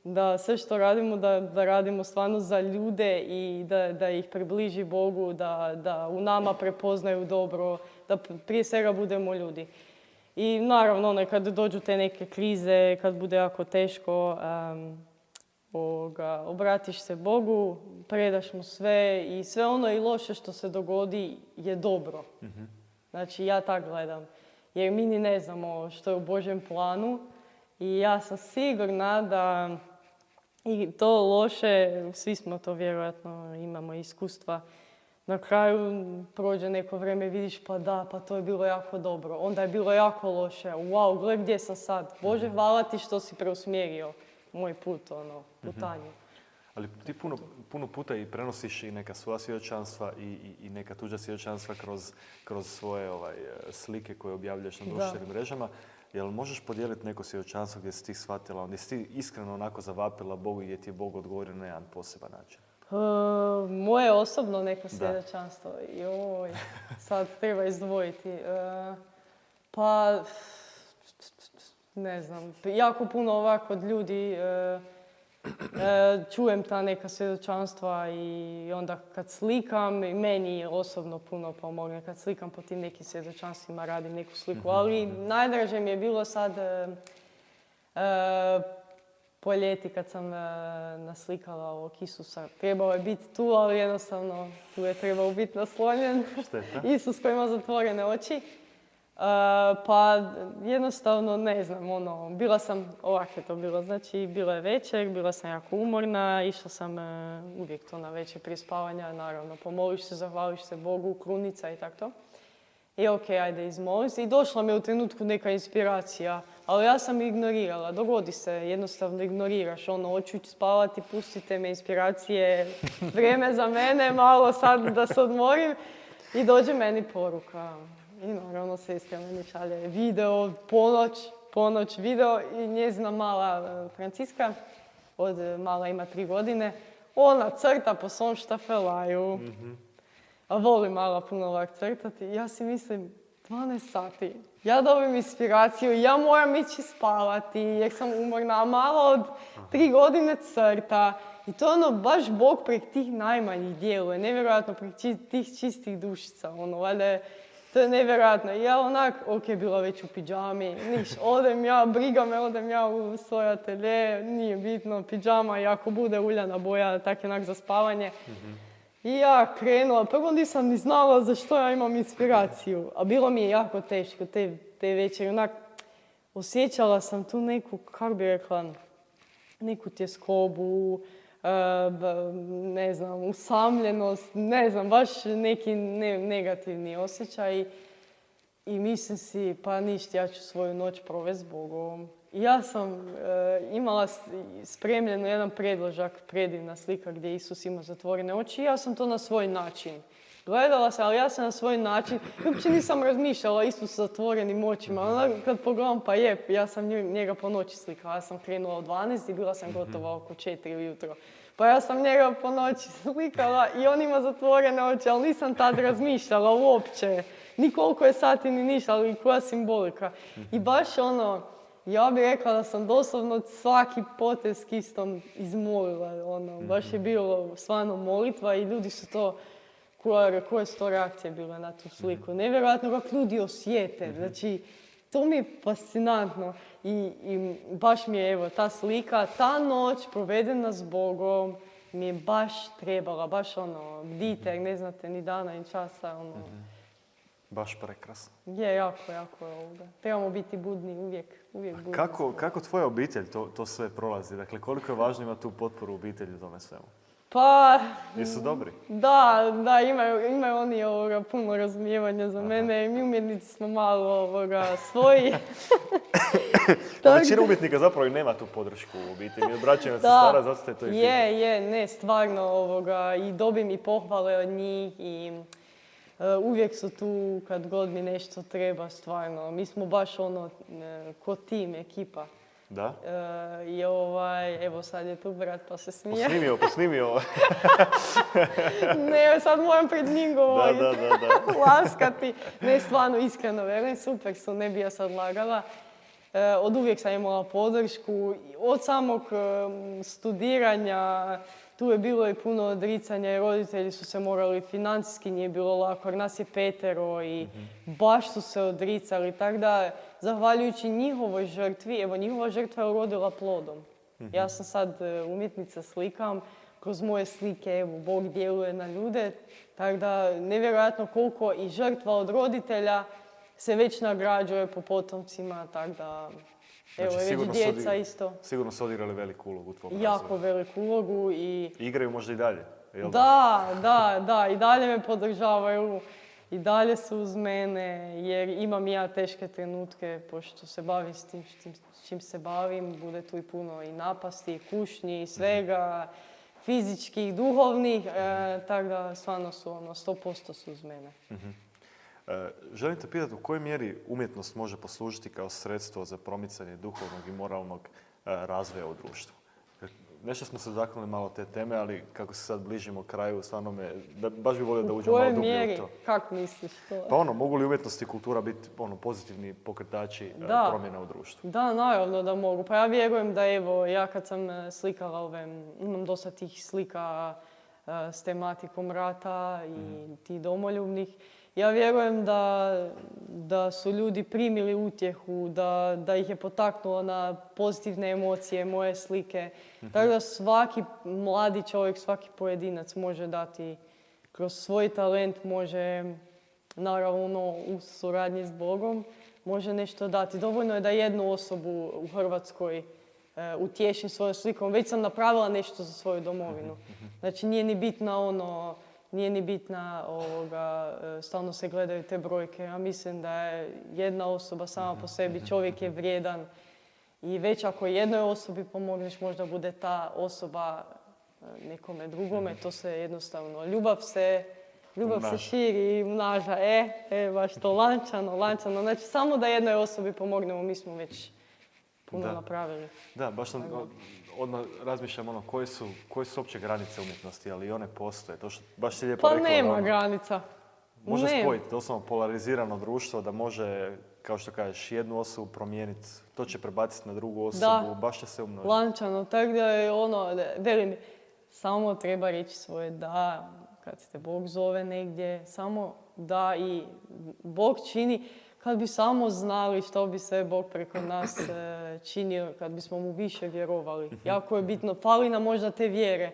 da sve što radimo, da, da radimo stvarno za ljude i da, da ih približi Bogu, da, da u nama prepoznaju dobro, da prije svega budemo ljudi. I naravno, ono, kad dođu te neke krize, kad bude jako teško, um, ovoga, obratiš se Bogu, predaš mu sve i sve ono i loše što se dogodi je dobro. Mm-hmm. Znači, ja tak gledam. Jer mi ni ne znamo što je u Božjem planu i ja sam sigurna da i to loše, svi smo to vjerojatno, imamo iskustva, na kraju prođe neko vrijeme i vidiš pa da, pa to je bilo jako dobro. Onda je bilo jako loše. Wow, gle gdje sam sad. Bože, hvala ti što si preusmjerio moj put, ono, putanju. Ali ti puno, puno puta i prenosiš i neka svoja svjedočanstva i, i, i neka tuđa svjedočanstva kroz, kroz svoje ovaj, slike koje objavljaš na društvenim mrežama. Jel možeš podijeliti neko svjedočanstvo gdje si ti shvatila, gdje si ti iskreno onako zavapila Bogu i gdje ti je Bog odgovorio na jedan poseban način? Uh, moje osobno neko svjedočanstvo. Joj, sad treba izdvojiti. Uh, pa, ne znam, jako puno ovako od ljudi uh, uh, čujem ta neka svjedočanstva i onda kad slikam, i meni osobno puno pomogne. Kad slikam po tim nekim svjedočanstvima, radim neku sliku. Ali najdraže mi je bilo sad uh, uh, po ljeti kad sam uh, naslikala ovog Isusa. Trebao je biti tu, ali jednostavno tu je trebao biti naslonjen. Isus koji ima zatvorene oči. Uh, pa jednostavno ne znam, ono, bila sam, ovak je to bilo, znači bila je večer, bila sam jako umorna, išla sam uh, uvijek to na večer prije spavanja, naravno, pomoliš se, zahvališ se Bogu, krunica i tako to. I ok, ajde izmoli se. I došla mi u trenutku neka inspiracija, ali ja sam ignorirala, dogodi se, jednostavno ignoriraš, ono, hoću spavati, pustite me inspiracije, vrijeme za mene, malo sad da se odmorim i dođe meni poruka. I naravno sestra meni šalje video, ponoć, ponoć video i njezina mala Franciska, od mala ima tri godine, ona crta po svom štafelaju. Mm-hmm. A voli mala puno ovak crtati. Ja si mislim, dvanaest sati. Ja dobim inspiraciju, ja moram ići spavati jer sam umorna, a mala od tri godine crta. I to ono, baš Bog prek tih najmanjih djeluje, nevjerojatno prek tih čistih dušica, ono, valjda to je nevjerojatno. Ja onak, ok, bila već u pidžami, niš, odem ja, briga me, odem ja u svoj atelje, nije bitno, pidžama i ako bude uljana boja, tak onak za spavanje. Mm-hmm. I ja krenula, prvo nisam ni znala za što ja imam inspiraciju, a bilo mi je jako teško te, te večeri, onak, osjećala sam tu neku, kako bi rekla, neku tjeskobu, Uh, ne znam, usamljenost, ne znam, baš neki ne, negativni osjećaj. I mislim si, pa ništa, ja ću svoju noć provesti s Bogom. I ja sam uh, imala spremljeno jedan predložak, predivna slika gdje Isus ima zatvorene oči i ja sam to na svoj način gledala sam, ali ja sam na svoj način, uopće nisam razmišljala Isus sa zatvorenim očima. Onda kad pogledam, pa je, ja sam njega po noći slikala. Ja sam krenula u dvanaest i bila sam gotova oko četiri ujutro. Pa ja sam njega po noći slikala i on ima zatvorene oči, ali nisam tad razmišljala uopće. Ni koliko je sati, ni ništa, ali koja simbolika. I baš ono, ja bih rekla da sam doslovno svaki potez kistom izmolila. Ono, baš je bilo stvarno molitva i ljudi su to, koje, koje su to reakcije bile na tu sliku. Nevjerojatno kako ljudi osjete. Znači, to mi je fascinantno. I, i baš mi je, evo, ta slika, ta noć provedena s Bogom mi je baš trebala, baš ono, bdite, jer ne znate ni dana ni časa, ono. Baš prekrasno. Je, jako, jako je ovdje. Trebamo biti budni, uvijek, uvijek budni. Kako, kako tvoja obitelj to, to sve prolazi? Dakle, koliko je važno imati tu potporu obitelji u tome svemu? Pa... Jesu dobri? Da, da, imaju, imaju oni ovoga, puno razumijevanja za Aha. mene. Mi umjetnici smo malo ovoga, svoji. Većina umjetnika zapravo i nema tu podršku u obitelji. Obraćaju se stara, zato ste to i Je, je, ne, stvarno ovoga, i dobim i pohvale od njih i uh, uvijek su tu kad god mi nešto treba, stvarno. Mi smo baš ono, ne, ko tim, ekipa. Da? Uh, I ovaj, evo sad je tu brat pa se smije. Posnimio, posnimio. Ne, sad moram pred njim govoriti. Da, da, da, da. Laskati. Ne, stvarno, iskreno verujem, super su, ne bi ja sad lagala. Uh, od uvijek sam imala podršku. Od samog um, studiranja, tu je bilo i puno odricanja i roditelji su se morali, financijski nije bilo lako, jer nas je petero i mm-hmm. baš su se odricali. Tako da, zahvaljujući njihovoj žrtvi, evo njihova žrtva je urodila plodom. Mm-hmm. Ja sam sad umjetnica, slikam, kroz moje slike, evo, Bog djeluje na ljude. Tako da, nevjerojatno koliko i žrtva od roditelja se već nagrađuje po potomcima, tako da... Evo, znači, već djeca odigrali, isto. Sigurno su odigrali veliku ulogu u tvom razvoju. Jako veliku ulogu i... Igraju možda i dalje, jel da? Da, da, da. I dalje me podržavaju. I dalje su uz mene, jer imam ja teške trenutke, pošto se bavim s tim s čim se bavim. Bude tu i puno i napasti, i kušnji, i svega. fizičkih, duhovnih, e, tako da stvarno su ono, sto posto su uz mene. Uh-huh. E, želim te pitati u kojoj mjeri umjetnost može poslužiti kao sredstvo za promicanje duhovnog i moralnog e, razvoja u društvu. Nešto smo se dotaknuli malo te teme, ali kako se sad bližimo kraju, stvarno me, da, baš bi volio da uđemo malo dublje u to. Kako misliš to? Pa ono, mogu li umjetnost i kultura biti ono, pozitivni pokretači da. promjena u društvu? Da, naravno da mogu. Pa ja vjerujem da evo, ja kad sam slikala ove, imam dosta tih slika uh, s tematikom rata i mm. tih domoljubnih, ja vjerujem da, da su ljudi primili utjehu, da, da ih je potaknulo na pozitivne emocije, moje slike. Mm-hmm. Tako da svaki mladi čovjek, svaki pojedinac može dati kroz svoj talent, može naravno u suradnji s Bogom, može nešto dati. Dovoljno je da jednu osobu u Hrvatskoj e, utješim svojom slikom. Već sam napravila nešto za svoju domovinu. Znači nije ni bitna ono... Nije ni bitna, ovoga, stalno se gledaju te brojke. Ja mislim da je jedna osoba sama po sebi, čovjek je vrijedan. I već ako jednoj osobi pomogneš, možda bude ta osoba nekome drugome. To se jednostavno, ljubav se, ljubav se širi i mnaža. E, e, baš to lančano, lančano. Znači, samo da jednoj osobi pomognemo, mi smo već puno da. napravili. Da, baš sam... Odmah razmišljam ono, koje su, koje su opće granice umjetnosti, ali i one postoje. To što baš si lijepo pa rekla. Pa nema ono, granica. Može nema. spojiti doslovno polarizirano društvo da može, kao što kažeš, jednu osobu promijeniti. To će prebaciti na drugu osobu, da. baš će se umnožiti. Lančano, tako da je ono, velim, samo treba reći svoje da, kad te Bog zove negdje, samo da i Bog čini. Kad bi samo znali što bi sve Bog preko nas e, činio, kad bismo mu više vjerovali. Jako je bitno, fali nam možda te vjere.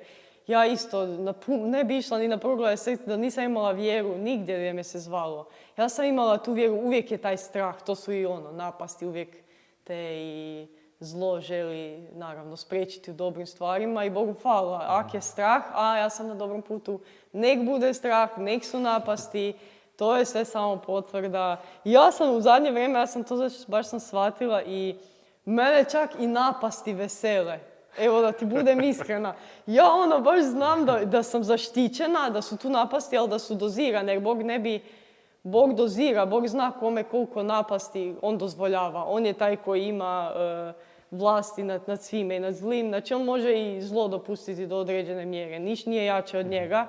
Ja isto na, ne bi išla ni na proglede srca da nisam imala vjeru nigdje gdje me se zvalo. Ja sam imala tu vjeru, uvijek je taj strah, to su i ono, napasti, uvijek te i zlo želi naravno spriječiti u dobrim stvarima i Bogu hvala. Ak je strah, a ja sam na dobrom putu, nek bude strah, nek su napasti. To je sve samo potvrda. Ja sam u zadnje vrijeme, ja sam to baš sam shvatila i mene čak i napasti vesele. Evo da ti budem iskrena. Ja ono baš znam da, da sam zaštićena, da su tu napasti, ali da su dozirane. Jer Bog ne bi, Bog dozira, Bog zna kome koliko napasti on dozvoljava. On je taj koji ima uh, vlasti nad, nad svime i nad zlim. Znači on može i zlo dopustiti do određene mjere. Niš nije jače od njega.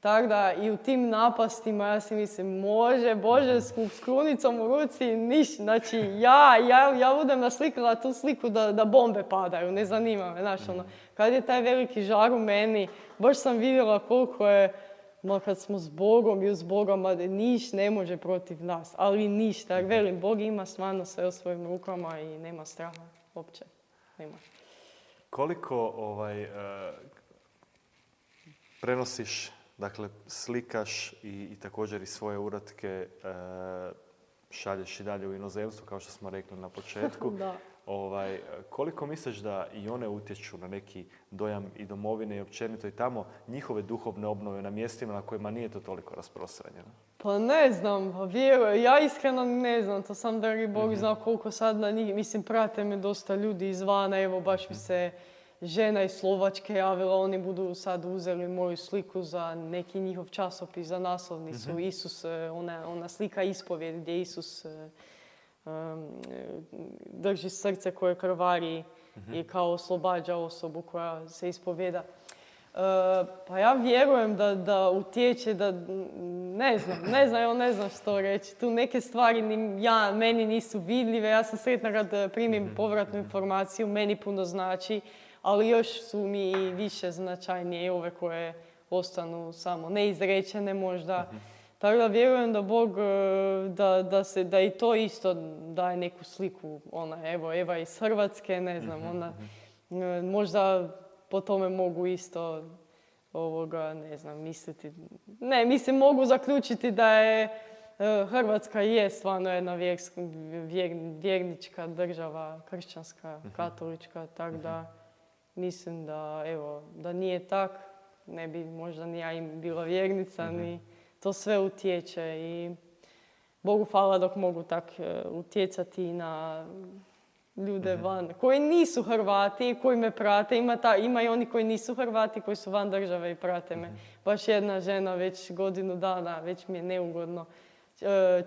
Tako da i u tim napastima ja si mislim, može, Bože, s krunicom u ruci, niš. Znači ja, ja, ja budem naslikala tu sliku da, da bombe padaju, ne zanima me. Znaš, ono, kad je taj veliki žar u meni, baš sam vidjela koliko je, ma kad smo s Bogom i uz Bogom, niš ne može protiv nas, ali ništa. Jer velim, Bog ima stvarno sve u svojim rukama i nema straha uopće. Nema. Koliko ovaj, uh, prenosiš, dakle, slikaš i, i također i svoje uratke e, šalješ i dalje u inozemstvu, kao što smo rekli na početku. Da. Ovaj, koliko misliš da i one utječu na neki dojam i domovine i općenito i tamo njihove duhovne obnove na mjestima na kojima nije to toliko rasprostranjeno? Pa ne znam, vjerujem. Ja iskreno ne znam, to sam dragi Bog mm-hmm. zna koliko sad na njih, mislim, prate me dosta ljudi izvana, evo baš mi se žena iz Slovačke javila, oni budu sad uzeli moju sliku za neki njihov časopis, za naslovnicu. Mm-hmm. Isus, ona, ona slika ispovjed gdje Isus um, drži srce koje krvari mm-hmm. i kao oslobađa osobu koja se ispovjeda. Uh, pa ja vjerujem da, da utječe, da ne znam, ne znam, evo ne znam što reći. Tu neke stvari ni, ja, meni nisu vidljive, ja sam sretna kad primim mm-hmm. povratnu informaciju, meni puno znači. Ali još su mi i više značajnije ove koje ostanu samo neizrečene možda. Mm-hmm. Tako da vjerujem da Bog, da, da, se, da i to isto daje neku sliku. Ona, evo, Eva iz Hrvatske, ne znam, ona, mm-hmm. možda po tome mogu isto ovoga, ne znam, misliti. Ne, mislim, mogu zaključiti da je Hrvatska je stvarno jedna vjerska, vjer, vjernička država, kršćanska, mm-hmm. katolička, tako mm-hmm. da mislim da, evo, da nije tak, ne bi možda ni ja im bila vjernica, mm-hmm. ni to sve utječe i Bogu hvala dok mogu tak utjecati na ljude van, koji nisu Hrvati, koji me prate. Ima, ta, ima i oni koji nisu Hrvati, koji su van države i prate me. Baš jedna žena već godinu dana, već mi je neugodno.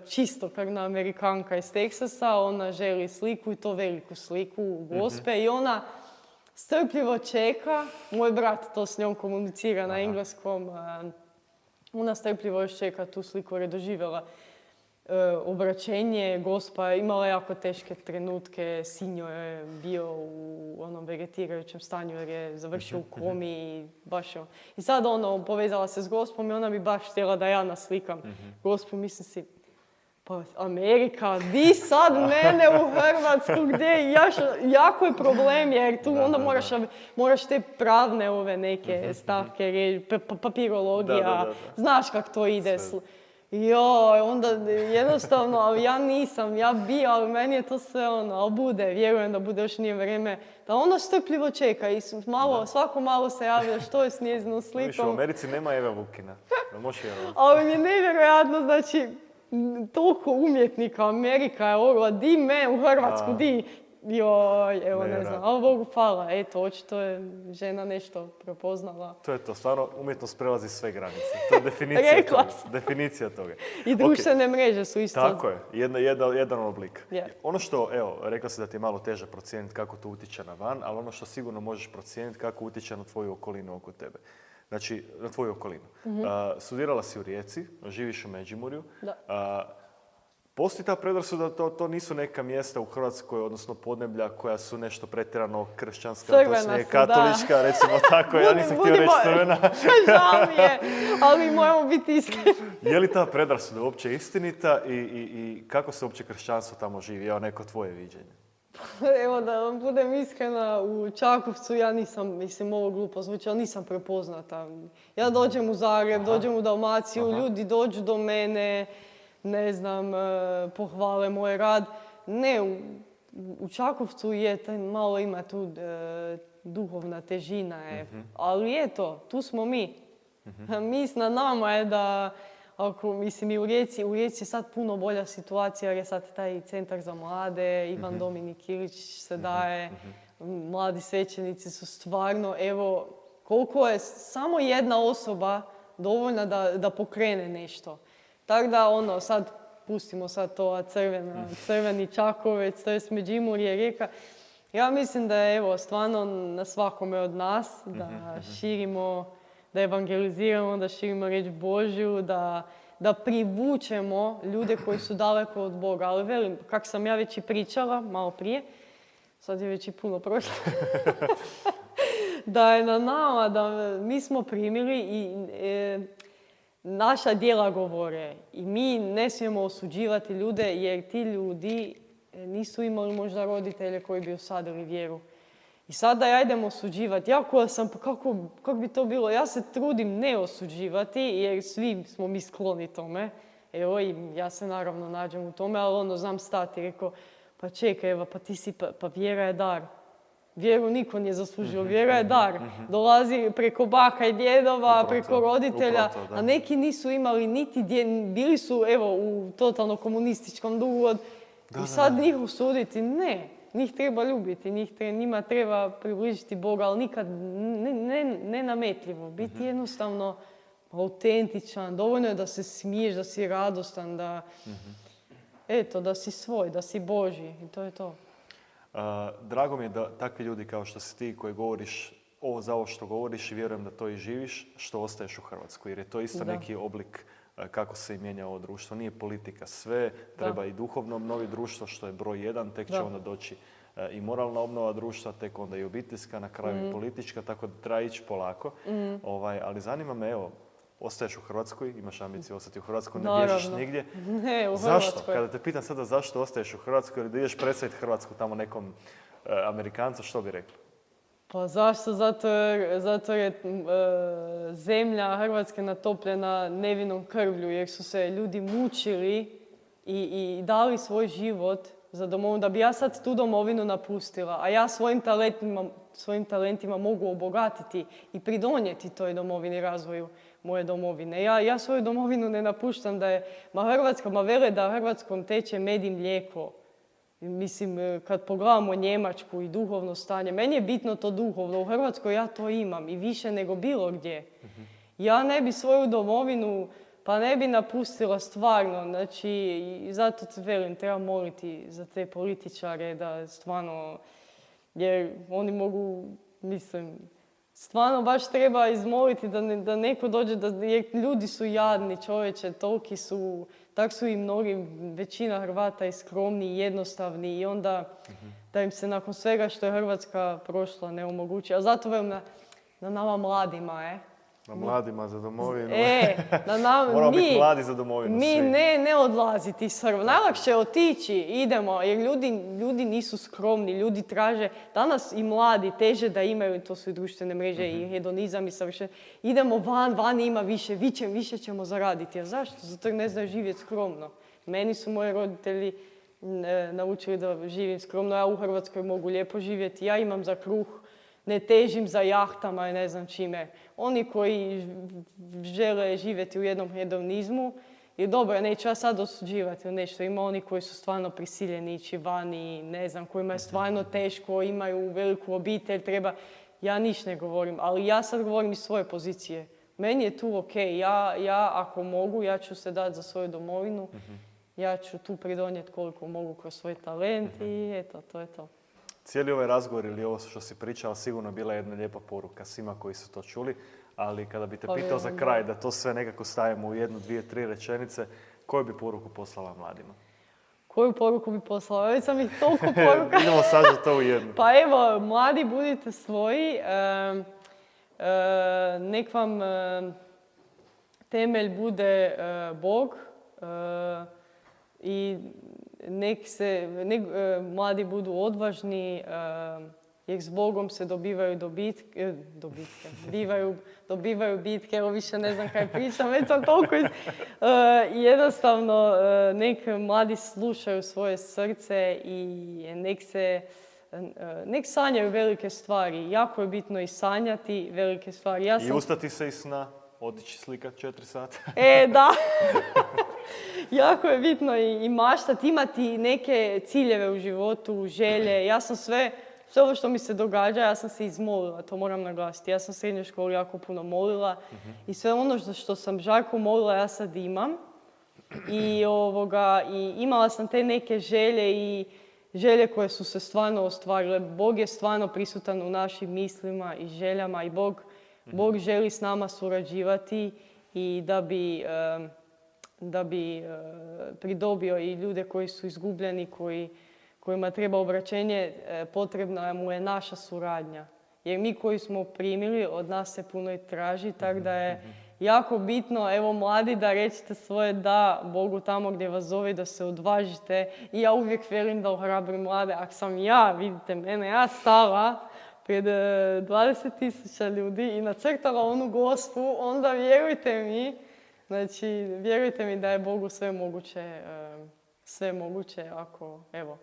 Čistokrvna Amerikanka iz Teksasa, ona želi sliku i to veliku sliku Gospe mm-hmm. i ona strpljivo čeka. Moj brat to s njom komunicira Aha. na engleskom. Ona strpljivo još čeka tu sliku jer je doživjela e, obraćenje. Gospa je imala jako teške trenutke. Sinjo je bio u onom vegetirajućem stanju jer je završio u komi i baš je... I sad ono, povezala se s Gospom i ona bi baš htjela da ja naslikam mm-hmm. Gospu. Mislim si, pa Amerika, di sad mene u Hrvatsku, gdje jaš, jako je problem jer tu da, onda da, moraš, da. moraš te pravne ove neke stavke, pa, papirologija, da, da, da, da. Znaš kak to ide. Sve. Joj, onda jednostavno, ali ja nisam, ja bi, ali meni je to sve ono, ali bude, vjerujem da bude, još nije vrijeme, da ono strpljivo čeka i malo, da. svako malo se javlja što je s njezinom slikom. Viš, u Americi nema Eva Vukina, da možeš vjerovati. Ali mi je nevjerojatno, znači, toliko umjetnika, Amerika je ovo, di me u Hrvatsku, A. di, joj, evo ne, ne znam, ali Bogu hvala, eto, očito je žena nešto prepoznala. To je to, stvarno umjetnost prelazi sve granice, to je definicija toga. Definicija toga. I društvene okay. mreže su isto. Tako je, jedna, jedna, jedan oblik. Yeah. Ono što, evo, rekla si da ti je malo teže procijeniti kako to utječe na van, ali ono što sigurno možeš procijeniti kako utječe na tvoju okolinu oko tebe. Znači, na tvoju okolinu. Mm-hmm. Uh, studirala si u Rijeci, živiš u Međimurju. Da. Uh, postoji ta predrasuda da to, to nisu neka mjesta u Hrvatskoj, odnosno podneblja koja su nešto pretjerano kršćanska, crvena to je su, katolička, da. recimo tako. Ja nisam htio reći crvena. Žao mi je, ali moramo biti iskreni. Je li ta predrasuda uopće istinita i, i, i kako se uopće kršćanstvo tamo živi? Evo neko tvoje viđenje. Evo da vam budem iskrena, u Čakovcu ja nisam, mislim ovo glupo zvuči, ali nisam prepoznata. Ja dođem u Zagreb, Aha. dođem u Dalmaciju, Aha. ljudi dođu do mene, ne znam, pohvale moj rad. Ne, u, u Čakovcu je, malo ima tu e, duhovna težina, je. Mm-hmm. Ali eto, tu smo mi. Mm-hmm. Mi na nama je da, ako, mislim i u Rijeci, u Rijeci je sad puno bolja situacija jer je sad taj centar za mlade, Ivan mm-hmm. Dominik Ilić se daje, mm-hmm. mladi svećenici su stvarno, evo, koliko je samo jedna osoba dovoljna da, da pokrene nešto. Tako da, ono, sad pustimo sad to crvena, crveni Čakovec, to je Međimurje, Rijeka. Ja mislim da je, evo, stvarno na svakome od nas da širimo, da evangeliziramo, da širimo riječ Božju, da, da privučemo ljude koji su daleko od Boga. Ali velim, kako sam ja već i pričala malo prije, sad je već i puno prošlo, da je na nama, da mi smo primili i e, naša djela govore. I mi ne smijemo osuđivati ljude jer ti ljudi nisu imali možda roditelje koji bi osadili vjeru. I sada ja idem osuđivati. Ja koja sam, pa kako, kako bi to bilo? Ja se trudim ne osuđivati jer svi smo mi skloni tome. Evo i ja se naravno nađem u tome, ali ono znam stati. Rekao, pa čekaj, Eva, pa ti si, pa, pa vjera je dar. Vjeru niko nije zaslužio, vjera je dar. Dolazi preko baka i djedova, upravo preko to, roditelja, to, a neki nisu imali niti dje, bili su evo u totalno komunističkom dugu od, da, i sad da, da. njih osuditi, ne. Njih treba ljubiti, njih treba, njima treba približiti Boga, ali nikad ne, ne, ne nametljivo. Biti mm-hmm. jednostavno autentičan, dovoljno je da se smiješ, da si radostan, da, mm-hmm. eto, da si svoj, da si Božji i to je to. Uh, drago mi je da takvi ljudi kao što si ti koji govoriš ovo za ovo što govoriš i vjerujem da to i živiš, što ostaješ u Hrvatskoj. Jer je to isto da. neki oblik uh, kako se i mijenja ovo društvo. Nije politika sve, treba da. i duhovno obnoviti društvo što je broj jedan, tek će da. onda doći uh, i moralna obnova društva, tek onda i obiteljska, na kraju mm. i politička, tako da treba ići polako. Mm. Ovaj, ali zanima me, evo, ostaješ u Hrvatskoj, imaš ambiciju ostati u Hrvatskoj, ne Naravno. bježiš nigdje. Ne, u zašto? Hrvatskoj. Kada te pitam sada zašto ostaješ u Hrvatskoj ili da ideš predstaviti Hrvatsku tamo nekom uh, Amerikancu, što bi rekli? Pa zašto? Zato jer, zato jer je uh, zemlja Hrvatske natopljena nevinom krvlju, jer su se ljudi mučili i, i dali svoj život za domovinu, da bi ja sad tu domovinu napustila, a ja svojim talentima, svojim talentima mogu obogatiti i pridonijeti toj domovini, razvoju moje domovine. Ja, ja svoju domovinu ne napuštam da je, ma Hrvatska, ma vele da Hrvatskom teče med i mlijeko. Mislim, kad pogledamo Njemačku i duhovno stanje, meni je bitno to duhovno. U Hrvatskoj ja to imam i više nego bilo gdje. Ja ne bi svoju domovinu, pa ne bi napustila stvarno. Znači, i zato te velim, treba moliti za te političare da stvarno, jer oni mogu, mislim, stvarno baš treba izmoliti da, ne, da neko dođe, da, jer ljudi su jadni, čovječe, toliki su, tak su i mnogi, većina Hrvata i skromni i jednostavni i onda mm-hmm. da im se nakon svega što je Hrvatska prošla ne omogući. A zato velim na, na nama mladima, e. Na mladima za domovinu. E, na nam, Moramo mi, biti mladi za domovinu. Mi svi. ne, ne odlaziti iz Hrvatske. Najlakše je otići, idemo, jer ljudi, ljudi nisu skromni, ljudi traže, danas i mladi teže da imaju, to su i društvene mreže mm-hmm. i hedonizam i savršen. Idemo van, van ima više, više, više ćemo zaraditi. A zašto? Zato jer ne znaju živjeti skromno. Meni su moji roditelji e, naučili da živim skromno, ja u Hrvatskoj mogu lijepo živjeti, ja imam za kruh, ne težim za jahtama i ne znam čime. Oni koji žele živjeti u jednom hedonizmu, je dobro, neću ja sad osuđivati nešto. Ima oni koji su stvarno prisiljeni ići vani, ne znam, kojima je stvarno teško, imaju veliku obitelj, treba... Ja niš ne govorim, ali ja sad govorim iz svoje pozicije. Meni je tu ok, ja, ja ako mogu, ja ću se dati za svoju domovinu, mm-hmm. ja ću tu pridonijeti koliko mogu kroz svoj talent mm-hmm. i eto, to je to. Cijeli ovaj razgovor ili ovo što si pričala sigurno bila jedna lijepa poruka svima koji su to čuli, ali kada bi te pa pitao za kraj da to sve nekako stavimo u jednu, dvije, tri rečenice, koju bi poruku poslala mladima? Koju poruku bi poslala? Već sam ih toliko poruka. Idemo sažeti to u jednu. Pa evo, mladi budite svoji, e, e, nek vam e, temelj bude e, Bog e, i nek se, nek, e, mladi budu odvažni, e, jer s Bogom se dobivaju dobitke, e, dobitke, bivaju, dobivaju bitke, evo više ne znam kaj pričam, već sam toliko iz... E, jednostavno, e, nek mladi slušaju svoje srce i nek se, e, nek sanjaju velike stvari. Jako je bitno i sanjati velike stvari. Ja sam... I ustati se iz sna, otići slikat četiri sata. E, da. Jako je bitno i, i maštati, imati neke ciljeve u životu, želje. Ja sam sve, sve ovo što mi se događa, ja sam se izmolila, to moram naglasiti. Ja sam u srednjoj školi jako puno molila mm-hmm. i sve ono što, što sam žarko molila, ja sad imam. I, ovoga, i imala sam te neke želje i želje koje su se stvarno ostvarile. Bog je stvarno prisutan u našim mislima i željama i Bog, mm-hmm. Bog želi s nama surađivati i da bi... Um, da bi e, pridobio i ljude koji su izgubljeni, koji, kojima treba obraćenje, e, potrebna mu je naša suradnja. Jer mi koji smo primili, od nas se puno i traži, tako da je jako bitno, evo mladi, da rećete svoje da Bogu tamo gdje vas zove, da se odvažite. I ja uvijek velim da ohrabrim mlade. Ako sam ja, vidite mene, ja stala pred dvadeset tisuća ljudi i nacrtala onu gospu, onda vjerujte mi, znači, vjerujte mi da je Bogu sve moguće, sve moguće ako, evo,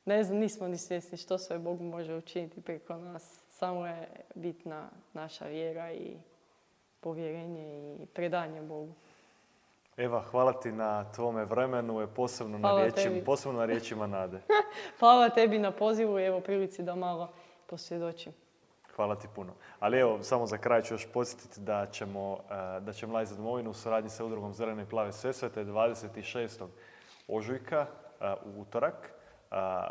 ne znam, nismo ni svjesni što sve Bog može učiniti preko nas. Samo je bitna naša vjera i povjerenje i predanje Bogu. Eva, hvala ti na tvome vremenu, posebno na, riječima, posebno na riječima nade. Hvala tebi na pozivu i evo prilici da malo posvjedočim. Hvala ti puno. Ali evo, samo za kraj ću još podsjetiti da ćemo, da će Mladi za domovinu u suradnji sa udrugom Zelene i plave Sesvete dvadeset šestog ožujka u utorak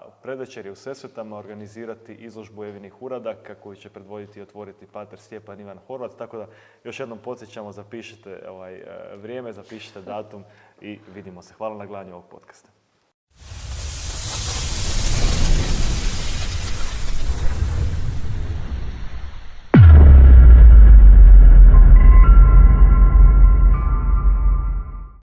u predvečerje u Sesvetama organizirati izložbu Evinih uradaka koju će predvoditi i otvoriti pater Stjepan Ivan Horvat. Tako da još jednom podsjećamo, zapišite ovaj vrijeme, zapišite datum i vidimo se. Hvala na gledanju ovog podcasta.